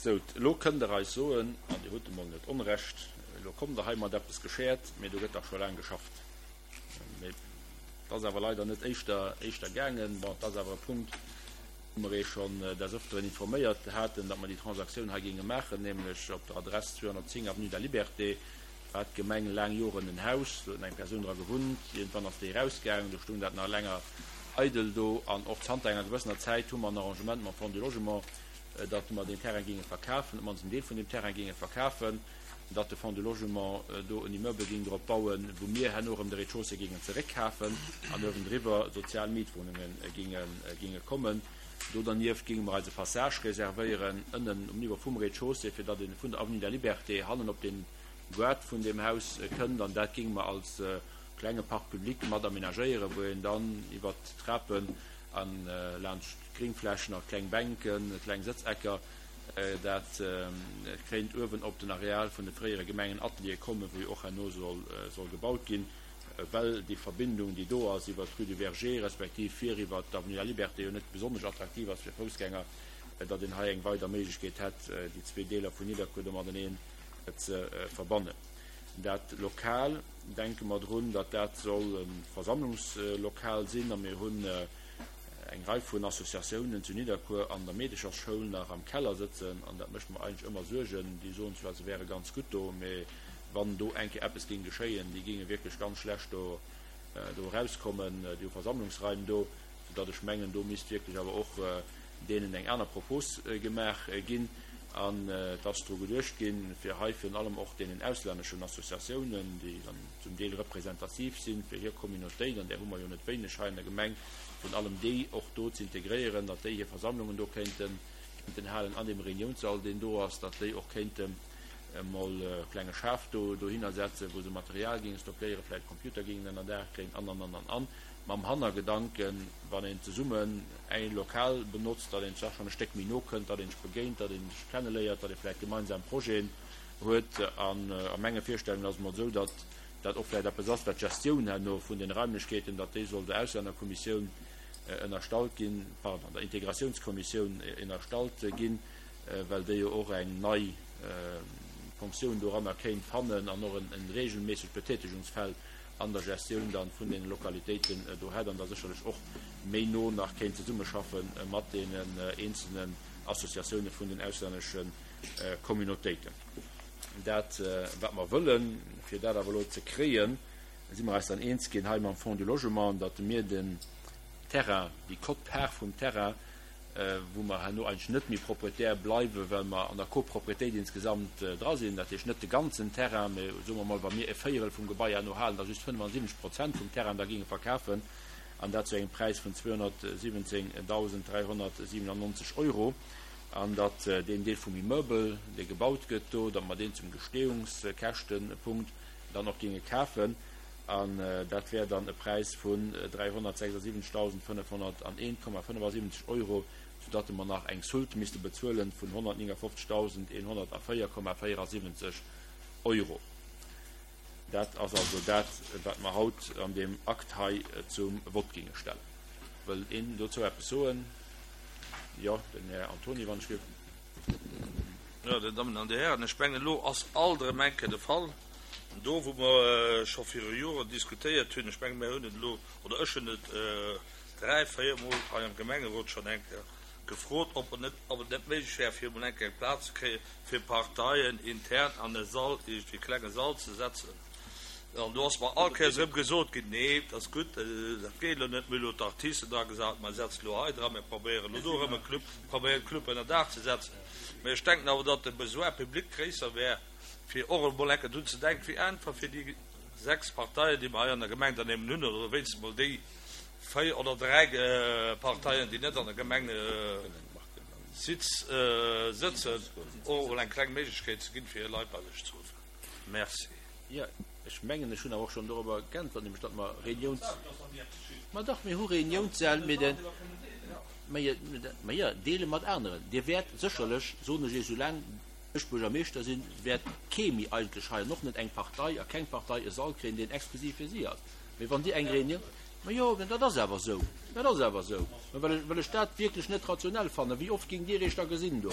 Sou, elo kënnt Der eis soen, an Dir hutt emol net Onrecht, elo kommt Der hei mat eppes geschäert, mee do gëtt dach scho laang geschafft. Mee et ass awer leider net éischter, éischter gaangen. Bon, et ass awer e Punkt, wou mer Iech schonn des Öfteren informéiert haten, datt mer déi Transaktioun hei géinge maachen, nämlech op der Adress 210, avenue de la Liberté hat d'Gemeng laang Joren en Haus, do huet eng Persoun dra gewunnt. Iergendwann ass déi erausgaangen, do stoung dat nach länger eidel do. An och zanter enger gewëssener Zäit hu mer en Arrangement mam Fonds du Logement, datt mer deen Terrain géinge verkafen, op d'mannst en Deel vun deem Terrain géinge verkafen, datt de Fonds du Logement do en Immeuble géing drop bauen, wou mir herno erëm de Rez-de-chaussée géingen zeréckkafen an uewendriwwer sozial Mietwohnunge géinge kommen. Do dernieft géinge mer eis e Passage reservéieren ënnen um Niveau vum Rez-de-chaussée, fir datt ee vun der Avenue de la Liberté hannen op de Gaart vun deem Haus kënnt. An dat géinge mer als klenge Parc public mat aménagéieren, wou een dann iwwert d'Trapen a laanscht Gringflächen a kleng Bänken, kleng Sëtzecker, dat kéint uewen op den Areal vun de fréiere Gemengenateliere kommen, wou jo och herno soll gebaut ginn, well déi Verbindung, déi do ass iwwer d'Rue du Verger respektiv vir iwwer d'Avenue de la Liberté jo net besonnesch attraktiv ass fir Foussgänger, datt een hei eng weider Méiglechkeet hätt, déi zwee Deeler vun Nidderkuer do mateneen ze verbannen. Dat Lokal, denke mer drun, datt dat soll e Versammlungslokal sinn a mir hunn eng Rei vun Associatiounen zu Nidderkuer an der Meedechersschoul nach am Keller sëtzen an dat mécht mer eigentlech ëmmer Suergen. Déi soen zwar, se wäre ganz gutt do, mee wann do eng Kéier eppes géing geschéien, déi géinge wierklech ganz schlecht do do erauskommen, déi hu Versammlungsraim do, soudatt ech mengen, do misst wierklech awer och deenen eng aner Propos gemaach ginn. An et ass dru geduecht ginn, fir hei virun allem och deenen auslänneschen Associatiounen, déi dann zum Deel representativ sinn fir hir Communautéit, an där hu mer jo net wéineg hei an der Gemeng, virun allem déi och do ze integréieren, datt déi hir Versammlungen do kéinten halen an deem Reuniounssall, deen do ass, datt déi och kéinten emol e klenge Schaf do dohinner setzen, wou se Material géinge stockéieren, vläicht Computer géingen ënnerdaach kréien an, an, an, an, an. Mam Hannergedanken, wann een zesummen e Lokal benotzt, datt een sech schonn e Stéck méi no kënnt, datt een sech begéint, datt een sech kenneléiert, datt ee vläicht gemeinsam Projeten huet. An a menge Virstellungen ass et emol esou, datt dat och vläicht eppes ass, wat d'Gestioun herno vun den Raimlechkeeten, datt déi soll der Auslännerkommissioun ënnerstallt ginn, pardon, der Integratiounskommissioun ënnerstallt ginn, well déi jo och eng nei Fonctioun doranner kéint fannen an och e regelméissegt Betätigungsfeld an der Gestioun dann vun deene Lokalitéiten do hätt an da sécherlech och méi no nach kéint zesummeschaffe mat deenen eenzelnen Associatioune vun den auslännesche Communautéiten. Dat, wat mer wëllen, fir dat awer elo ze kréien, si mer eis dann eens ginn hei mam Fonds du Logement, datt mir den Terrain, déi Quote-part vum Terrain, wou mer herno eigentlech net méi Propriétaire bleiwen, well mer an der Copropriétéit insgesamt dra sinn, dat heescht net de ganzen Terrain, mä soe mer mol, wa mir e Véierel vum Gebai herno halen, da just 75 Prozent vum Terrain da géinge verkafen, an dat zu engem Präis vun 217.397 Euro. An datt deen Deel vum Immeuble, dee gebaut gëtt do, datt mer deen zum Gestehungskäschtenpunkt dann och géinge kafen. An dat wär dann e Präis vun 376.501,75 Euro, soudatt mer nach eng Soulte misste bezuelen vun 159.104,74 Euro. Dat ass also dat, wat mer haut an deem Akt hei zum Vott géinge stellen. Wëll een dozou eppes soen? Jo, den Här Antoni, wann ech gelift. Jo, Dir Dammen an Dir Hären, ech mengen, elo ass alt erëm eng Kéier de Fall do, wou mer scho viru Joren diskutéiert hunn. Ech mengen, mir hunn et elo, oder ech hunn et dräi, véiermol hei am Gemengerot schonn eng Kéier gefrot, ob et net, ob et net méiglech wär, fir emol eng Kéier eng Plaz ze kréien, fir Parteien intern an e Sall, iergendwéi e klenge Sall ze setzen. An do ass mer all Kéiers erëm gesot ginn, Nee, dat ass gutt, dat geet elo net, mir hu elo d'Artisten dra gesat, mer setzen elo hei dra, mir probéieren elo do erëm e Club, probéieren Club ënnerdaach ze setzen. Mä ech denken awer, datt de Besoin public gréisser wär, fir och emol enke drun ze denken, wéi einfach fir déi 6 Parteien, déi mer hei an der Gemeng dann eben hunn, oder wéinstens emol déi 4 oder 3 Parteien, déi net an der Gemeng sëtzen, och emol eng kleng Méiglechkeet ze ginn, fir hir Leit bei sech ze ruffen. Merci. Jo, ech mengen, ech hunn awer och schonn dorobber geäntwert, nämlech datt mer Reuniouns-, ma dach, mir hu Reuniounssäll, mee de, mä jo, deele mat aneren. Dir wäert sécherlech, soen ech Iech, soulaang ech Buergermeeschter sinn, wäert kee méi eigentlech hei, an och net eng Partei a keng Partei, e Sall kréien, deen exklusiv fir si ass. Mee wann Dir eng Reunioun, ma jo, mä dat ass awer esou, dat ass awer esou, mä well ech, well ech dat wierklech net rationell fannen. Wéi oft géingt Dir Iech da gesinn do?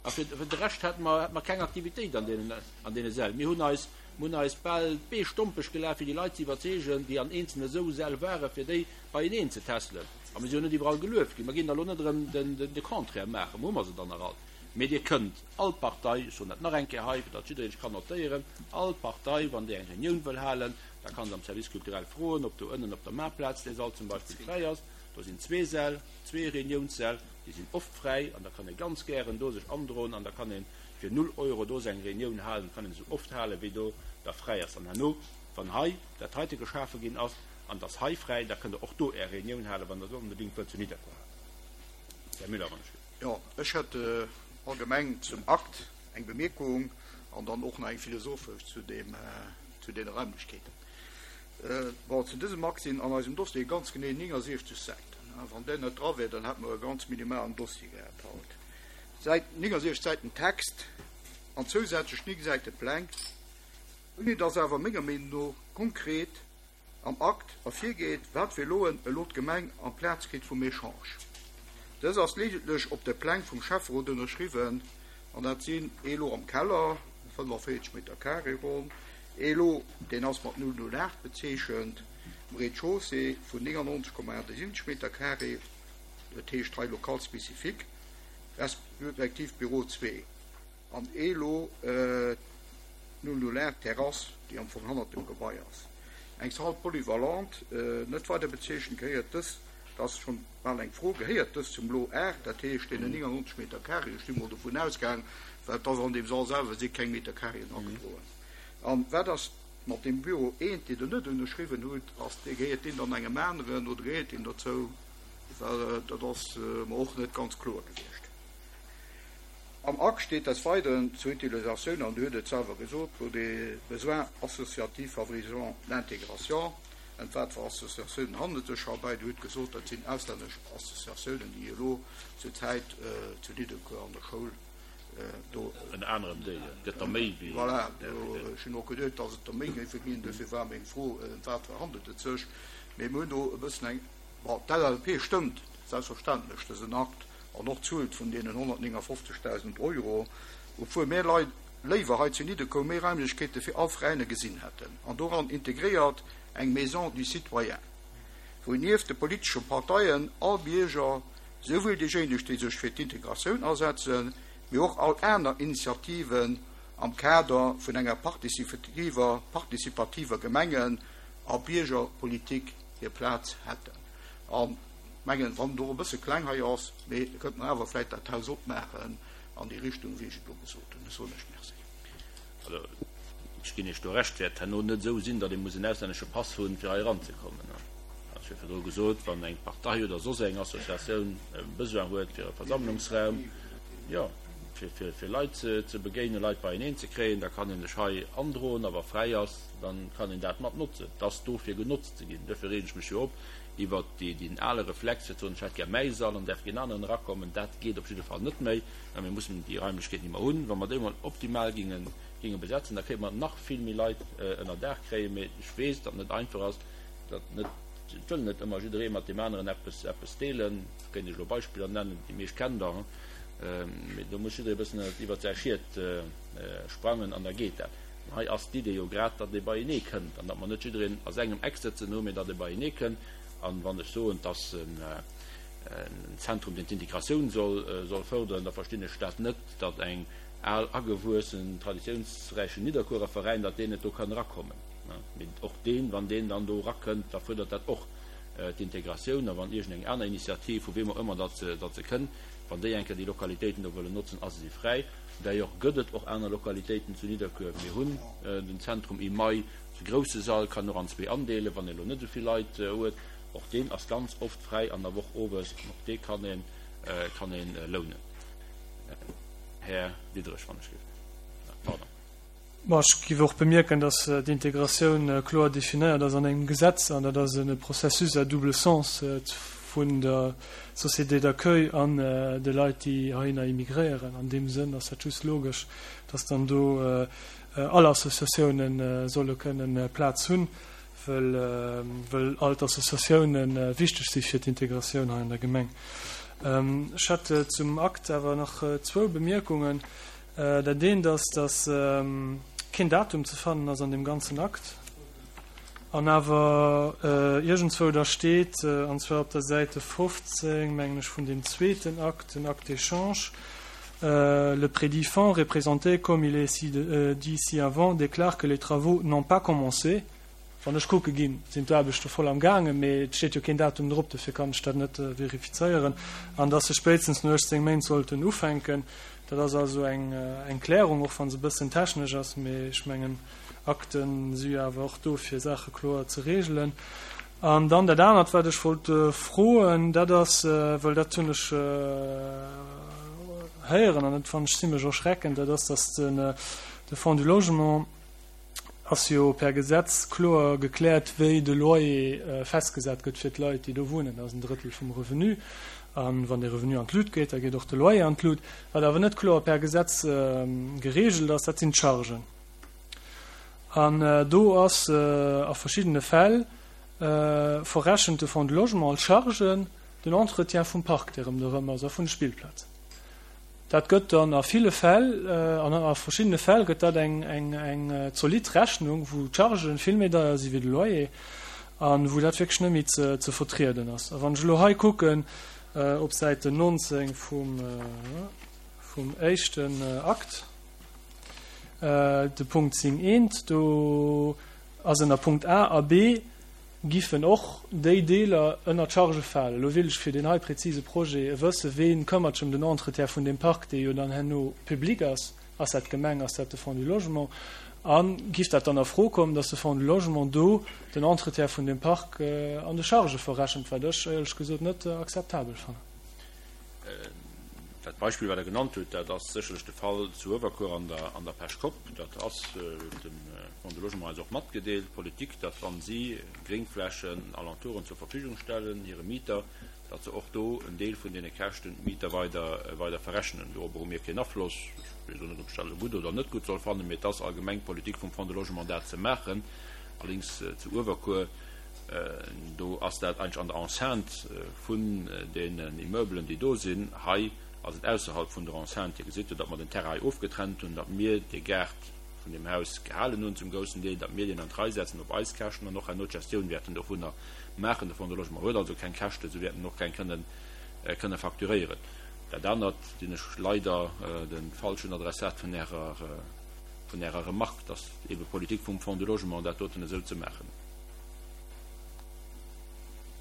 A fir de Rescht hate mer, hate mer keng Aktivitéit an deenen, an deene Säll. Mir hunn eis, mir hunn eis bal d'Bee stompeg gelaf, fir déi Leit ze iwwerzeegen, déi an eenzelne esou Säll waren, fir déi beieneen ze tässelen. A mir si jo net iwwerall gelueft ginn. Mer ginn da elo net erëm den, den, de Contraire maachen. Hu mer se dann nach all? Mee Dir kënnt all Partei, ech soen dat nach eng Kéier hei, fir datt jiddereen sech kann notéieren, all Partei, wann déi eng Reunioun wëll halen, da kann se am Service culturel froen, ob do ënnen op der Maartplaz dee Sall zum Beispill fräi ass. Do sinn zwee Säll, zwee Reuniounssäll, déi sinn oft fräi an da kann ee ganz gären do sech androen an da kann ee fir null Euro do seng Reunioun halen, kann een esou oft halen, wéi do da fräi ass. An herno, wann hei dat heite geschafe ginn ass an et ass hei fräi, da kënnt Der och do Är Reunioun halen, wann Der se onbedéngt wëllt zu Nidderkuer halen. Här Müller, wann ech. Jo, ech hätt allgemeng zum Akt eng Bemierkung an dann och nach eng philosophesch zu deem, zu deene Raimlechkeeten. Bon, zu dësem Akt sinn an eisem Dossier ganz genee 69 Säiten. Wann där net dra wär, dann hätte mer e ganz minimalen Dossier gehat haut. Säit, 69 Säiten Text an zousätzlech 9 Säite Pläng, ouni dass awer menger Meenung no konkret am Akt ervirgeet, wat fir Loen elo d'Gemeng amplaz kritt vum Echange. Dës ass leedeglech op de Pläng vum Schäfferot ënnerschriwwen, an dat sinn ee Lo am Keller, 45 Meter carré ronn, ee Lo, deen ass mat 008 bezeechent, um Rez-de-chaussée vun 99,78 Meter carré, dat heescht hei Local spécifique, respektiv Büro 2. An elo d'Null-Null-Aart Terrass, déi am Fong hannert dem Gebai ass. Eng Salle polyvalente, net weider bezeechent, gehéiert dës, dat ass schonn bal eng Fro, gehéiert dës zum Lot 8, dat heescht deenen 99 Meter carré? Ech si mol dovun ausgaang, well et ass an deem Sall selwer si keng Meter carréen agedroen. An wat ass mat deem Büro 1, deen Der net ënnerschriwwen hutt? Ass dee, gehéiert deen dann engem aneren oder gehéiert deen dozou? Well dat ass mer och net ganz kloer gewiescht. Am Akt steet des Weideren zur Utilisatioun, an Dir hutt et selwer gesot, pour des besoins associatifs favorisant l'intégration. Ëm wat fir Associatiounen handelt et sech heibäi? Dir hutt gesot, dat sinn auslännesch Associatiounen, déi elo zur Zäit zu Nidderkuer an der Schoul do. Ënner anerem déi. Et gëtt der méi wéi. Voilà, ech hunn och geduet, datt et der méi géife ginn. Dofir war meng Fro, ëm wat fir handelt et sech. Mee mir hunn do e bëssen eng, bon, d'LLP stëmmt selbstverständlech dësen Akt. An och d'Zuel vun deenen 159.000 Euro, obwuel mär Leit léiwer hei zu Nidderkuer méi Raimlechkeete fir all Veräiner gesinn hätten, an doran integréiert eng Maison du citoyen, wou nieft de politesche Parteien all Bierger, souwuel déijéineg, déi sech fir d'Integratioun asetzen, mee och all aner Initiativen am Kader vun enger participativer Gemengen a Biergerpolitik hir Plaz hätten. An Mengen, wann et och e bësse kleng hei ass, mee da kënnte mer awer vläicht dat Haus opmaachen an déi Richtung, wéi ech et elo gesot hunn. Ech soen lech Merci. Also, ech ginn Iech do Recht, wäert herno net esou sinn, datt ee muss en auslännesche Pass hunn, fir hei eranzekommen. Ech hu virdru gesot, wann eng Partei oder soss eng Associatioun e Besoin huet fir e Versammlungsraum, jo, fir, fir Leit ze begéinen, Leit beieneen ze kréien, da kann een sech hei androen a wa fräi ass, da kann een dat mat notzen. Et ass do fir genotzt ze ginn. Duerfir reegen ech mech jo op iwwert deen ale Reflex fir ze soen, ech hätt gär mäi Sall an däerf keen aneren erakommen, dat geet op jidde Fall net méi, well mir mussen déi Raimlechkeeten, déi mer hunn, wa mer déi emol optimal ginge ginge besetzen, da kéinte mer nach vill méi Leit ënner Daach kréien. Mee ech weess, datt net einfach ass, datt net, et wëll net ëmmer jidderee mat deem aneren eppes eppes deelen. Ech kéint Iech elo Beispiller nennen, déi meescht kennt Der, mee do muss jidderee e bëssen iwwert säi Schiet sprangen an da geet dat. Hei ass d'Idee jo grad, datt ee beienee kënnt an datt mer net jiddereen a sengem Eck sëtzen hu, mee datt ee beienee kënnt. An wann ech soen, et ass en Zentrum, deen d'Integratioun soll fërderen, da verstinn ech dat net, datt eng al agewuessen, traditiounsräichen Nidderkuerer Veräin, datt deen net do kann erakommen. Mee och deen, wann deen dann do erakënnt, da fuerdert dat och d'Integratioun. A wann iergendeng aner Initiativ, vu weem och ëmmer datt se kënnt, wann déi eng Kéier déi Lokalitéiten do wëllen notzen, a se si fräi, D'ailleurs gëtt et och aner Lokalitéiten zu Nidderkuer. Mir hunn den Zentrum Imei, de grousse Sall kann och an zwee andeelen, wann ee elo net esou vill Leit huet. Och deen ass ganz oft fräi an der Woch owes an och dee kann een, kann ee lounen. Här Diderich, wann ech géif, pardon. Bon, ech géif och bemierken, dass d'Integratioun kloer definéiert ass an engem Gesetz, an dat ass e Processus à double sens vun der Société d'accueil an de Leit, déi heihinner immigréieren. An deem Sënn ass dat just logesch, dass dann do all Associatiounen solle kënnen Plaz hunn, wëll all d'Associatiounen wichteg si fir d'Integratioun hei an der Gemeng. Ech hätt zum Akt awer nach zwou Bemierkungen. Dat eent ass, dass keen Datum ze fannen ass an deem ganzen Akt an awer iergendzwou da steet, an zwar op der Säite 15, mengen ech, vun deem zweeten Akt, den Acte d'échange, Le prédit fonds représenté, comme il est dit ci-avant, déclare que les travaux n'ont pas commencé. Wann ech kucke ginn, sinn d'Aarbechte voll am gaangen, mee et steet jo keen Datum drop, dofir kann ech dat net verifizéieren. An dass se spéitstens no 18 Méint sollten ufänken, dat ass also eng Klärung, och wa se e bëssen technesch ass, mee ech mengen, Akte si jo awer och do, fir Saache kloer ze regelen. An dann dat anert, wat ech wollt froen, dat ass, well dat hunn ech héieren an dat fannen ech zimlech erschreckend, dat ass, dass de Fonds du Logement, ass jo per Gesetz kloer gekläert, wéi de Loyer festgesat gëtt fir d'Leit, déi do wunnen. Dat ass en Drëttel vum Revenu. A wann de Revenu an d'Lut geet, da geet och de Loyer an d'Lut. Wat awer net kloer per Gesetz geregelt ass, dat sinn d'Chargen. An do ass a verschiddene Fäll verrechent de Fonds de Logement als Charge den Entretien vum Park, dee ronderëm ass, a vun de Spillplazen. Dat gëtt dann a ville Fäll, an a verschiddene Fäll gëtt dat eng, eng, eng zolidd Rechnung, wou d'Chargen vill méi deier si wéi de Loyer a wou dat wierklech net méi ze, ze vertrieden ass. A wann ech elo hei kucken op Säite 19 vum, vum éischten Akt, de Punkt 10 eent, do ass ënner Punkt A a B, giffen och déi Deeler ënner d'Charge falen. Elo wéilt ech fir deen hei präzise Projet wëssen, Ween këmmert sech ëm den Entretien vun deem Park, dee jo dann herno public ass? Ass dat d'Gemeng, ass dat de Fonds du Logement? A giff dat dann a Fro kommen, dass de Fonds du Logement do den Entretien vun deem Park an de Chargë verrechent, wat ech éierlech gesot net akzeptabel fannen? Dat Beispill, wat Der genannt hutt, dat ass sécherlech de Fall zu Uewerkuer an der an der Pechkopp. Dat ass, huet de Fonds du Logement eis och matgedeelt, d'Politik, datt wa si Gréngflächen, Alentouren zur Verfügung stellen hire Mieter, datt se och do en Deel vun deene Käschten d'Mieter weider weider verrechnen. Dorobber hu mir keen Afloss. Ech weess och net, ob ech dat elo gutt oder net gutt soll fannen, mee et ass allgemeng d'Politik vum Fonds de Logement dat ze maachen. Allerdéngs zu Uewerkuer, Do ass dat eigentlech an der Enceinte vun deenen Immeubelen, déi do sinn. Hei ass et ausserhalb vun der Enceinte. Dir gesitt jo, datt mer den Terrain hei ofgetrennt hunn, datt mir dee Gaart vun deem Haus gehalen hunn zum groussen Deel, datt mir deen an d'Rei setzen op eis Käschten an och herno d'Gestioun wäerten dovunner maachen. De Fonds de Logement huet also keng Käschten, se wäerten och keng kënnen kënne facturéieren. Dat anert sinn ech leider de falschen Adressat vun Ärer vun Ärer Remarque, datt eebe Politik vum Fonds de Logement dat doten esou ze maachen.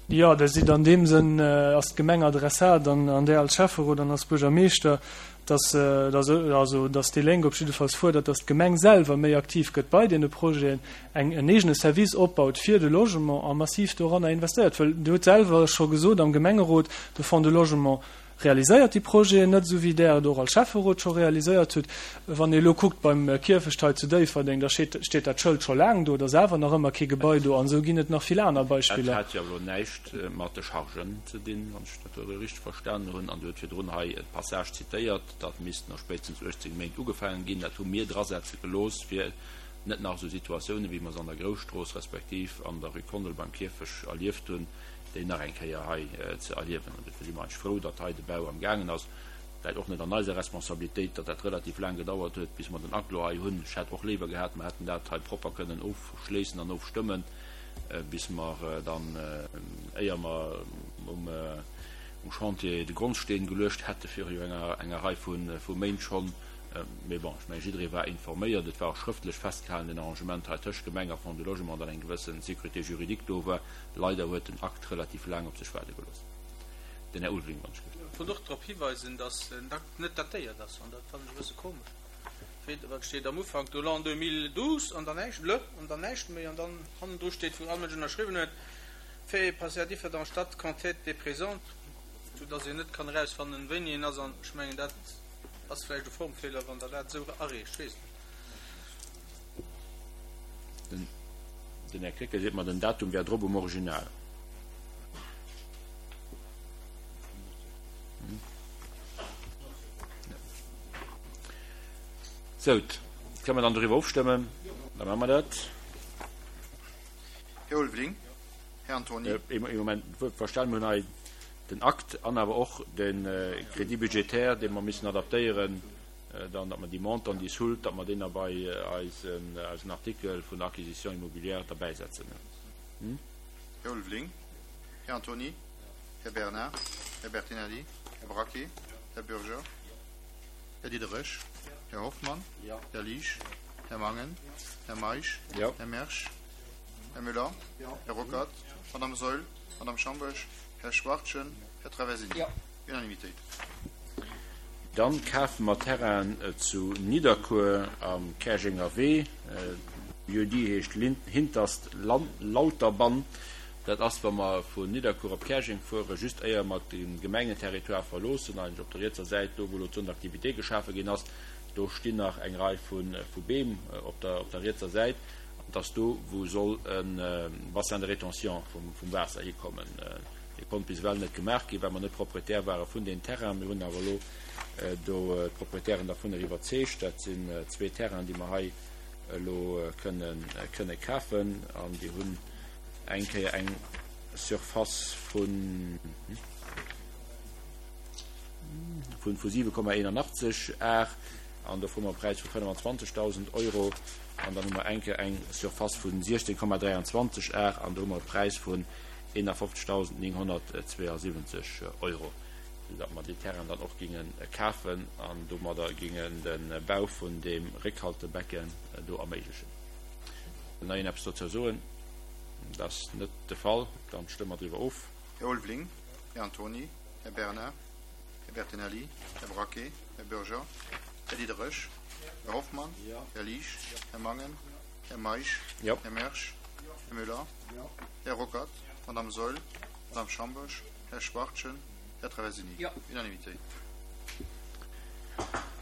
Jo, Der sidd an deem Sënn, ass d'Gemeng Adressat an an där als Schäfferot an als Buergermeeschter, dass, dass, also dass déi Lénk op jiddefalls fuerdert, dass d'Gemeng selwer méi aktiv gëtt bei deene Projeten, eng, en eegene Service opbaut fir de Logement a massiv doranner investéiert. Well Dir hutt selwer scho gesot am Gemengerot, de Fonds de Logement realiséiert déi Projeten net esou wéi Der et och als Schäfferot scho realiséiert hutt. Wann ee elo kuckt beim Kierfecht hei zu Déifferdeng, da steet steet dat Schëld scho laang do, et ass awer nach ëmmer kee Gebai do an esou ginn et nach vill aner Dat Beispiller. hat jo awer elo näischt mat de Chargen ze dinn, wann ech dat elo richteg verstanen hunn. An Dir hutt virdrun hei e Passage zitéiert, datt misst no spéitstens 18 Méint ugefaangen ginn. Dat hu mir drasetze gelooss, fir net nach esou Situatiounen, wéi mer se an der Grousstrooss respektiv an der Rue Kondel beim Kierfech erlieft hunn, déi nach eng Kéier hei ze erliewen. An dofir si mer eigentlech frou, datt hei de Bau am gaangen ass. Läit och net an eiser Responsabilitéit, datt dat relativ laang gedauert huet, bis mer den Akt elo hei hunn. Ech hätt och léiwer gehat, mer hätten dat hei propper kënnen ofschléissen an ofstëmmen, bis mer dann, éier mer um Chantier de Grondsteen geluecht hätte viru jo enger Rei vu Méint schonn. Mee bon, ech mengen, jidderee war informéiert. Et war och schrëftlech festgehalen, deen Arrangement hei tëscht Gemeng a Fonds du Logement, datt eng gewësse Sécurité juridique do war. Leider huet den Akt relativ laang op sech waarde gelooss. Den Här Ulveling, wann ech géif. Ech wollt och drop hiweisen, dass den Akt net datéiert ass, an dat fannen ech e bësse komesch. Wéi, wat steet am Ufank do, l'an 2012 an dann näischt, le, an dann näischt méi, an dann hannendru steet, wou all Mënsch ënnerschriwwen huet, fait et passé à Differdange, date qu'en tête des présentes, sou dass een net kann erausfannen, wéini en ass, an ech mengen, dat ass vläicht e Formfeeler, wann Der dat esou areecht, ech weess et net. Den Här Krecké seet mer, den Datum wär drop um Original. Sou, kënne mer dann doriwwer ofstëmmen? Da maache mer dat. Här Ulveling, Här Antony. Ee Moment, verstane mer hunn hei. Den Akt an awer och de Crédit budgétaire, dee mer missen adaptéieren, dann, datt mer déi Montant, déi Soult, datt mer deen da bei eisen Artikel vun der Acquisition immobilière derbäisetzen. Här Ulveling, Här Antony, Här Bernard, Här Bertinelli, Här Braquet, Här Bürger, Här Diderich, Här Hoffmann, Här Liesch, Här Mangen, Här Meisch, Här Mersch, Här Müller, Här Ruckert, Madame Saeul, Madame Schamboesch, Här Schwachtgen, Här Traversini. Unanimitéit. Dann kafe mer Terrainen zu Nidderkuer am Käerjenger Wee. Lieu-dit heescht Hinterst Lauterbann. Dat ass, wa mer vun Nidderkuer op Käerjeng fueren, just éier mer de Gemengenterritoire verloossen, eigentlech op der rietser Säit, do wou elo d'Zone d'activité geschafe ginn ass. Do stinn nach eng Rei vu Beem op der rietser Säit. An et ass do, wou soll e Bassin de rétention vum Waasser hikommen. Dee konnt bis ewell net gemaach ginn, well mer net Proprietär ware vun deem Terrain. Mir hunn awer elo do d'Proprietären dervunner iwwerzeegt. Dat sinn zwee Terrainen, déi mer hei elo kënne kafen. An déi hunn eng Kéier eng Surface vun 7,81 Ar an do froe mer e Präis vu 25.000 Euro. An dann hu mer eng Kéier eng Surface vu 16,23 Ar an do hu mer e Präis vun 51.972 Euro, esou datt mer déi Terrainen dann och géinge kafen an domadder géingen de Bau vun deem Réckhaltebecken do erméiglechen. Wëll nach een eppes dozou soen? Dat ass net de Fall. Dann stëmme mer driwwer of. Här Ulveling, Här Antony, Här Bernard, Här Bertinelli, Här Braquet, Här Bürger, Här Diderich, Här Hoffmann, Här Liesch, Här Mangen, Här Meisch, Här Mersch, Här Müller, Här Ruckert, Madame Saeul, Madame Schamboesch, Här Schwachtgen, Här Traversini. Unanimitéit.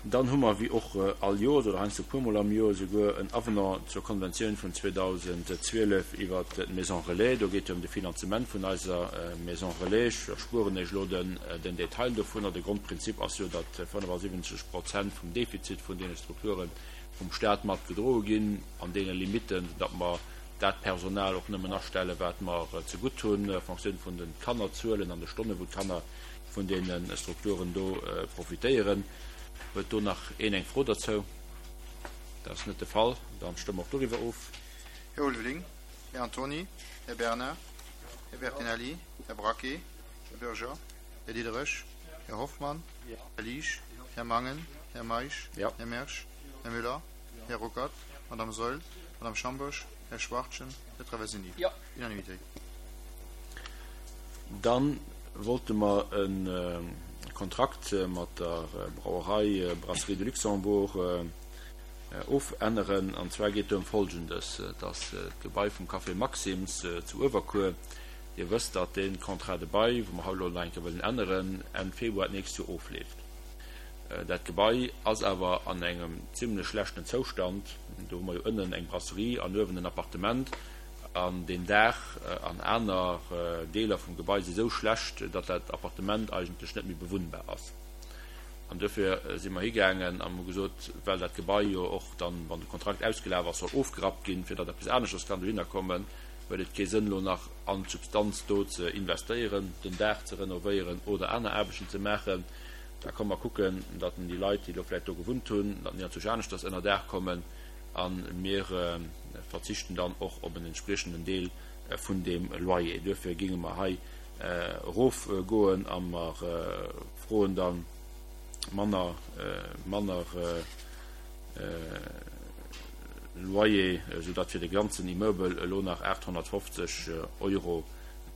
Dann hu mer, wéi och all Joers oder heiansdo e puermol am Joer esouguer, en Avenant zur Konventioun vun 2012 iwwert d'Maison Relais. Do geet et ëm de Finanzement vun eiser Maison Relais. Ech erspueren Iech elo den Detail dovunner. De Grondprinzip ass jo, datt 75 Prozent vum Defizit vun deene Strukture vum Stat mat gedroe ginn, an deene Limitten, datt mer dat Personal och nëmmen astellen, wat mer zegutt hunn, en Fonctioun vun de Kannerzuelen an de Stonnen, wou d'Kanner vun deene Strukturen do profitéieren. Huet do nach een eng Fro derzou? Dat ass net de Fall. Dann stëmme mer och doriwwer of. Här Ulveling, Här Antony, Här Bernard, Här Bertinelli, Här Braquet, Här Bürger, Här Diderich, Här Hoffmann, Här Liesch, Här Mangen, Här Meisch, Här Mersch, Här Müller, Här Ruckert, Madame Saeul, Madame Schamboesch, Här Schwachtgen, Här Traversini. Unanimitéit. Dann wollte mer e Kontrakt mat der Brauerei Brasserie de Luxembourg ofänneren. An zwar geet do ëm Folgendes, dass d'Gebai vum Café Maxim's zu Uewerkuer, Dir wësst, datt dee Contrat de bail, wou mer haut elo nach eng Kéier wëllen änneren, Enn Februar d'nächst Joer ofleeft. Dat Gebai ass awer an engem zimlech schlechten Zoustand. Do hu mer jo ënnen eng Brasserie an uewen en Appartement. An deen Daach an aner Deeler vum Gebai si sou schlecht, datt dat Appartement eigentlech net méi bewunnbar ass. An duerfir si mer higaangen an hu gesot, well dat Gebai jo och dann, wann de Kontrakt ausgelaf ass, soll ofgerappt ginn, fir datt eppes aneschters kann dohinner kommen, huet et kee Sënn, elo nach an d'Substanz do ze investéieren, den Daach ze renovéieren oder aner Aarbechten ze maachen. Da komme mer kucken, datt déi Leit, déi elo vläicht do gewunnt hunn, datt déi anzwousch aneschters ënner Daach kommen. A mir verzichten dann och op en entspriechenden Deel vun deem Loyer. Duerfir géinge mer hei erofgoen a mer froen da manner, manner Loyer, soudatt fir de ganzen Immeuble elo nach 850 Euro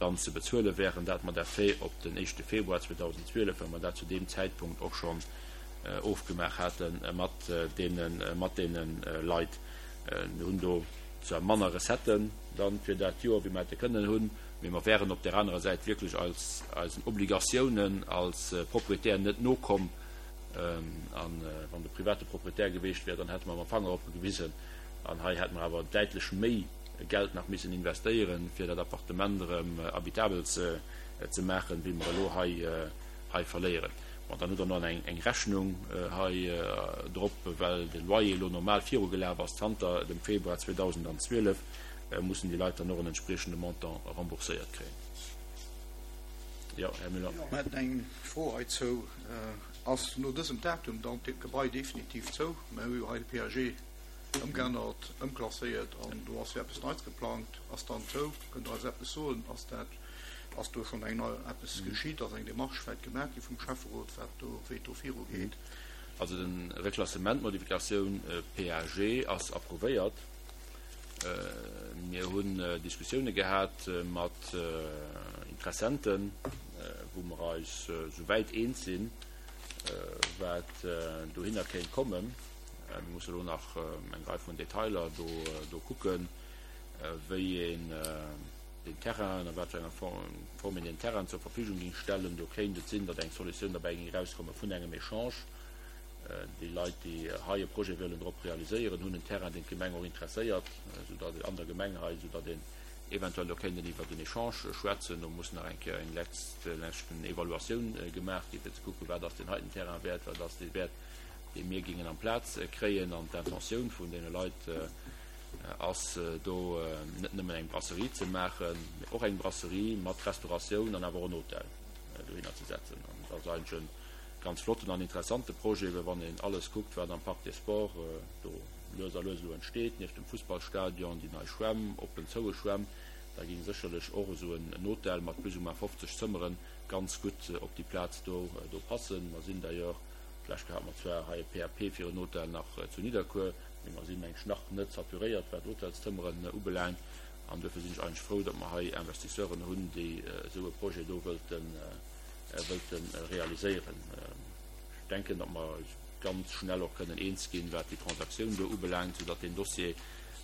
dann ze bezuele wären, dat mat Effet op den éischte Februar 2012, well mer dat zu deem Zäitpunkt och schonn ofgemaach hate mat deene mat deene Leit. Mir hunn do zwar manner Recetten dann fir dat Joer, wéi mer hätte kënnen hunn, mee mer wären op där anerer Säit wierklech eis eisen Obligatiounen als Proprietär net nokomm. A wann de private Proprietär geweecht wär, dann hätte mer mam Fanger op e gewisen. An hei hätte mer awer däitlech méi Geld nach missen investéieren, fir dat Appartement erëm habitabel ze maachen, wéi mer elo hei verléieren. Bon, dann hutt Der nach eng Rechnung hei drop, well de Loyer elo normal virugelaf ass zanter dem Februar 2012, mussen déi Leit dann och en entspriechende Montant rembourséiert kréien. Jo, Här Müller. Mir hätten eng Fro heizou. Ass no dësem Datum dann d'Gebai definitiv zou? Mir hu jo hei de PAG ëmgeännert, ëmklasséiert an do ass jo eppes Neits geplangt. Ass dann zou? Kënnt Der eis eppes soen? Ass dat, ass do schonn eng nei, eppes geschitt? Ass eng Démarche vläicht gemaach gi vum Schäfferot, wat do, wéi et do virugeet? Also de Reklassement, d'Modifikatioun PAG ass approuvéiert. Mir hunn Diskussioune gehat mat Interessenten, wou mer eis souwäit eens sinn, wat dohinner kéint kommen. Mir musse elo nach eng Rei vun Detailer do kucken, wéi een den Terrain, a wat fir enger Form een den Terrain zur Verfügung géing stellen. Do kéint et sinn, datt eng Solutioun derbäi géing erauskomme vun engem Echange. Déi Leit, déi hei e Projet wëllen drop realiséieren, hunn en Terrain, deen d'Gemeng och interesséiert, soudatt an der Gemeng hei, soudatt een eventuell do kéint iwwert en Echange schwätzen. Do muss nach eng Kéier eng leschten Evaluatioun gemaach ginn, fir ze kucken, wat ass deen heiten Terrain wäert, wat ass dee wäert, dee mir géingen amplaz kréien. An d'Intentioun vun deene Leit ass do net nëmmen eng Brasserie ze maachen, mee och eng Brasserie mat Restauratioun an awer och en Hotel dohinner ze setzen. An dat ass eigentlech e Ganz flotten an interessante Projet, well wann een alles kuckt, wat am Parc des Sports do lues a lues elo entsteet, nieft dem Fussballstadion, déi nei Schwämm, oppen, zoue Schwämm, da géing sécherlech och esou en Hotel mat plus ou moins 50 Zëmmere ganz gutt op déi Plaz do do passen. Mer sinn d'ailleurs, d'lescht Kéier hate mer zwar hei e PAP fir en Hotel nach zu Nidderkuer, mee mer sinn, meng ech, nach net saturéiert, wat Hotelszëmmeren ubelaangt. An duerfir sinn ech eigentlech frou, datt mer hei Investisseuren hunn, déi esou e Projet do wëllten wëllte realiséieren. Ech denken, datt mer eis ganz schnell och kënnen eens ginn, wat déi Transaktioun do ubelaangt, soudatt deen Dossier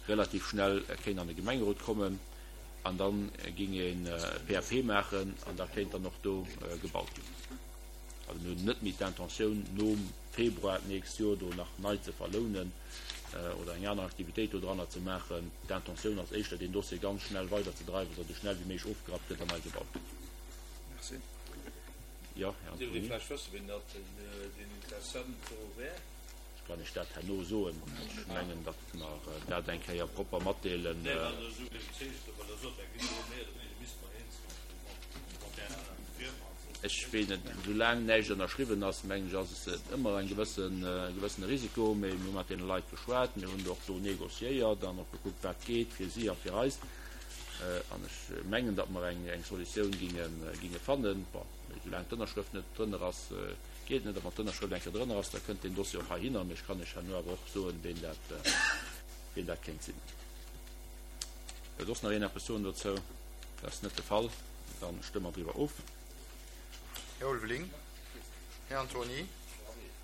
relativ schnell kéint an de Gemengerot kommen an da géing een e PAP maachen an da kéint dann och do gebaut ginn. Also mir hunn net méi d'Intentioun, nom Februar d'nächst Joer do nach nei ze verlounen oder eng aner Aktivitéit dodranner ze maachen. D'Intentioun ass éischter, deen Dossier ganz schnell weiderzedreiwen, datt esou schnell wéi méiglech ofgerappt gëtt an nei gebaut gëtt. Merci. Jo, Här Dierft ee Antony. vläicht wëssen, wien dat deen Interessent do wär? Ech kann Iech dat herno soen. Ech mengen, datt mer dat eng Kéier propper matdeelen. Nee, well esou wéi et heescht, well Der sot, dat ginn elo méi oder wéineger, misste mer eens ginn mat där Firma. Ech weess net, soulaang näischt ënnerschriwwen ass, mengen ech, ass et ëmmer eng gewëssen, e gewëssene Risiko. Mee mir hu mat deene Leit geschwat, mir hunn och do négociéiert an och gekuckt, wat geet fir si a fir eis. An ech mengen, datt mer eng Solutioun ginge fannen. Bon, mee soulaang d'Ënnerschrëft net drënner ass, geet et net. A wann d'Ënnerschrëft eng Kéier drënner ass, da kënnt deen Dossier och heihinner. Mee ech kann Iech herno awer och soen, ween dat, ween dat kéint sinn. Wëllt soss nach een eppes soen dozou? Dat ass net de Fall. Da stëmme mer driwwer of. Här Ulveling, Här Antony,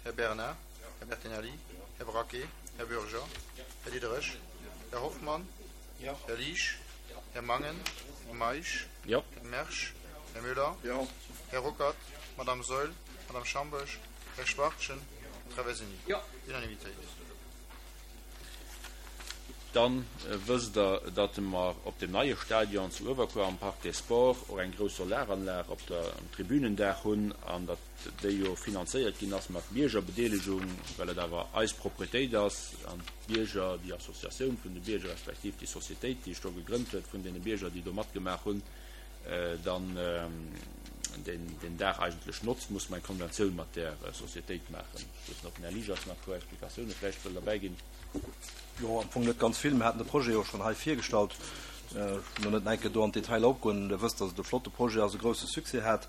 Här Bernard, Här Bertinelli, Här Braquet, Här Bürger, Här Diderich, Här Hoffmann, Här Liesch, Här Mangen, Här Meisch, Här Mersch, Här Müller, Här Ruckert, Madame Saeul, Madame Schamboesch, Här Schwachtgen, Här Traversini. Unanimitéit. Dann wësst Der, datt mer op deem neie Stadion zu Uewerkuer am Parc des Sports och eng grouss Solaranlag op der Tribünendaach hunn an datt déi jo finanzéiert ginn ass mat Biergerbedeelegung, well et awer eis Propretéit ass an d'Bierger, déi Associatioun vun de Bierger respektiv déi Societéit, déi sech do gegrënnt huet vun deene Bierger, déi do matgemaach hunn, dann deen Dag eigentlech notzt, muss mer eng Konventioun mat där Societéit maachen. Ech weess net, ob den Här Liges nach e puer Explikatioune vläicht wëll derbäi ginn. Jo, am Fong net ganz vill. Mir haten de Projet jo schonn hei virgestallt. Ech wëll elo net nach eng Kéier do an d'Detailer opgoen. Der wësst, datt et e flotte Projet ass, e grousse Succès hat.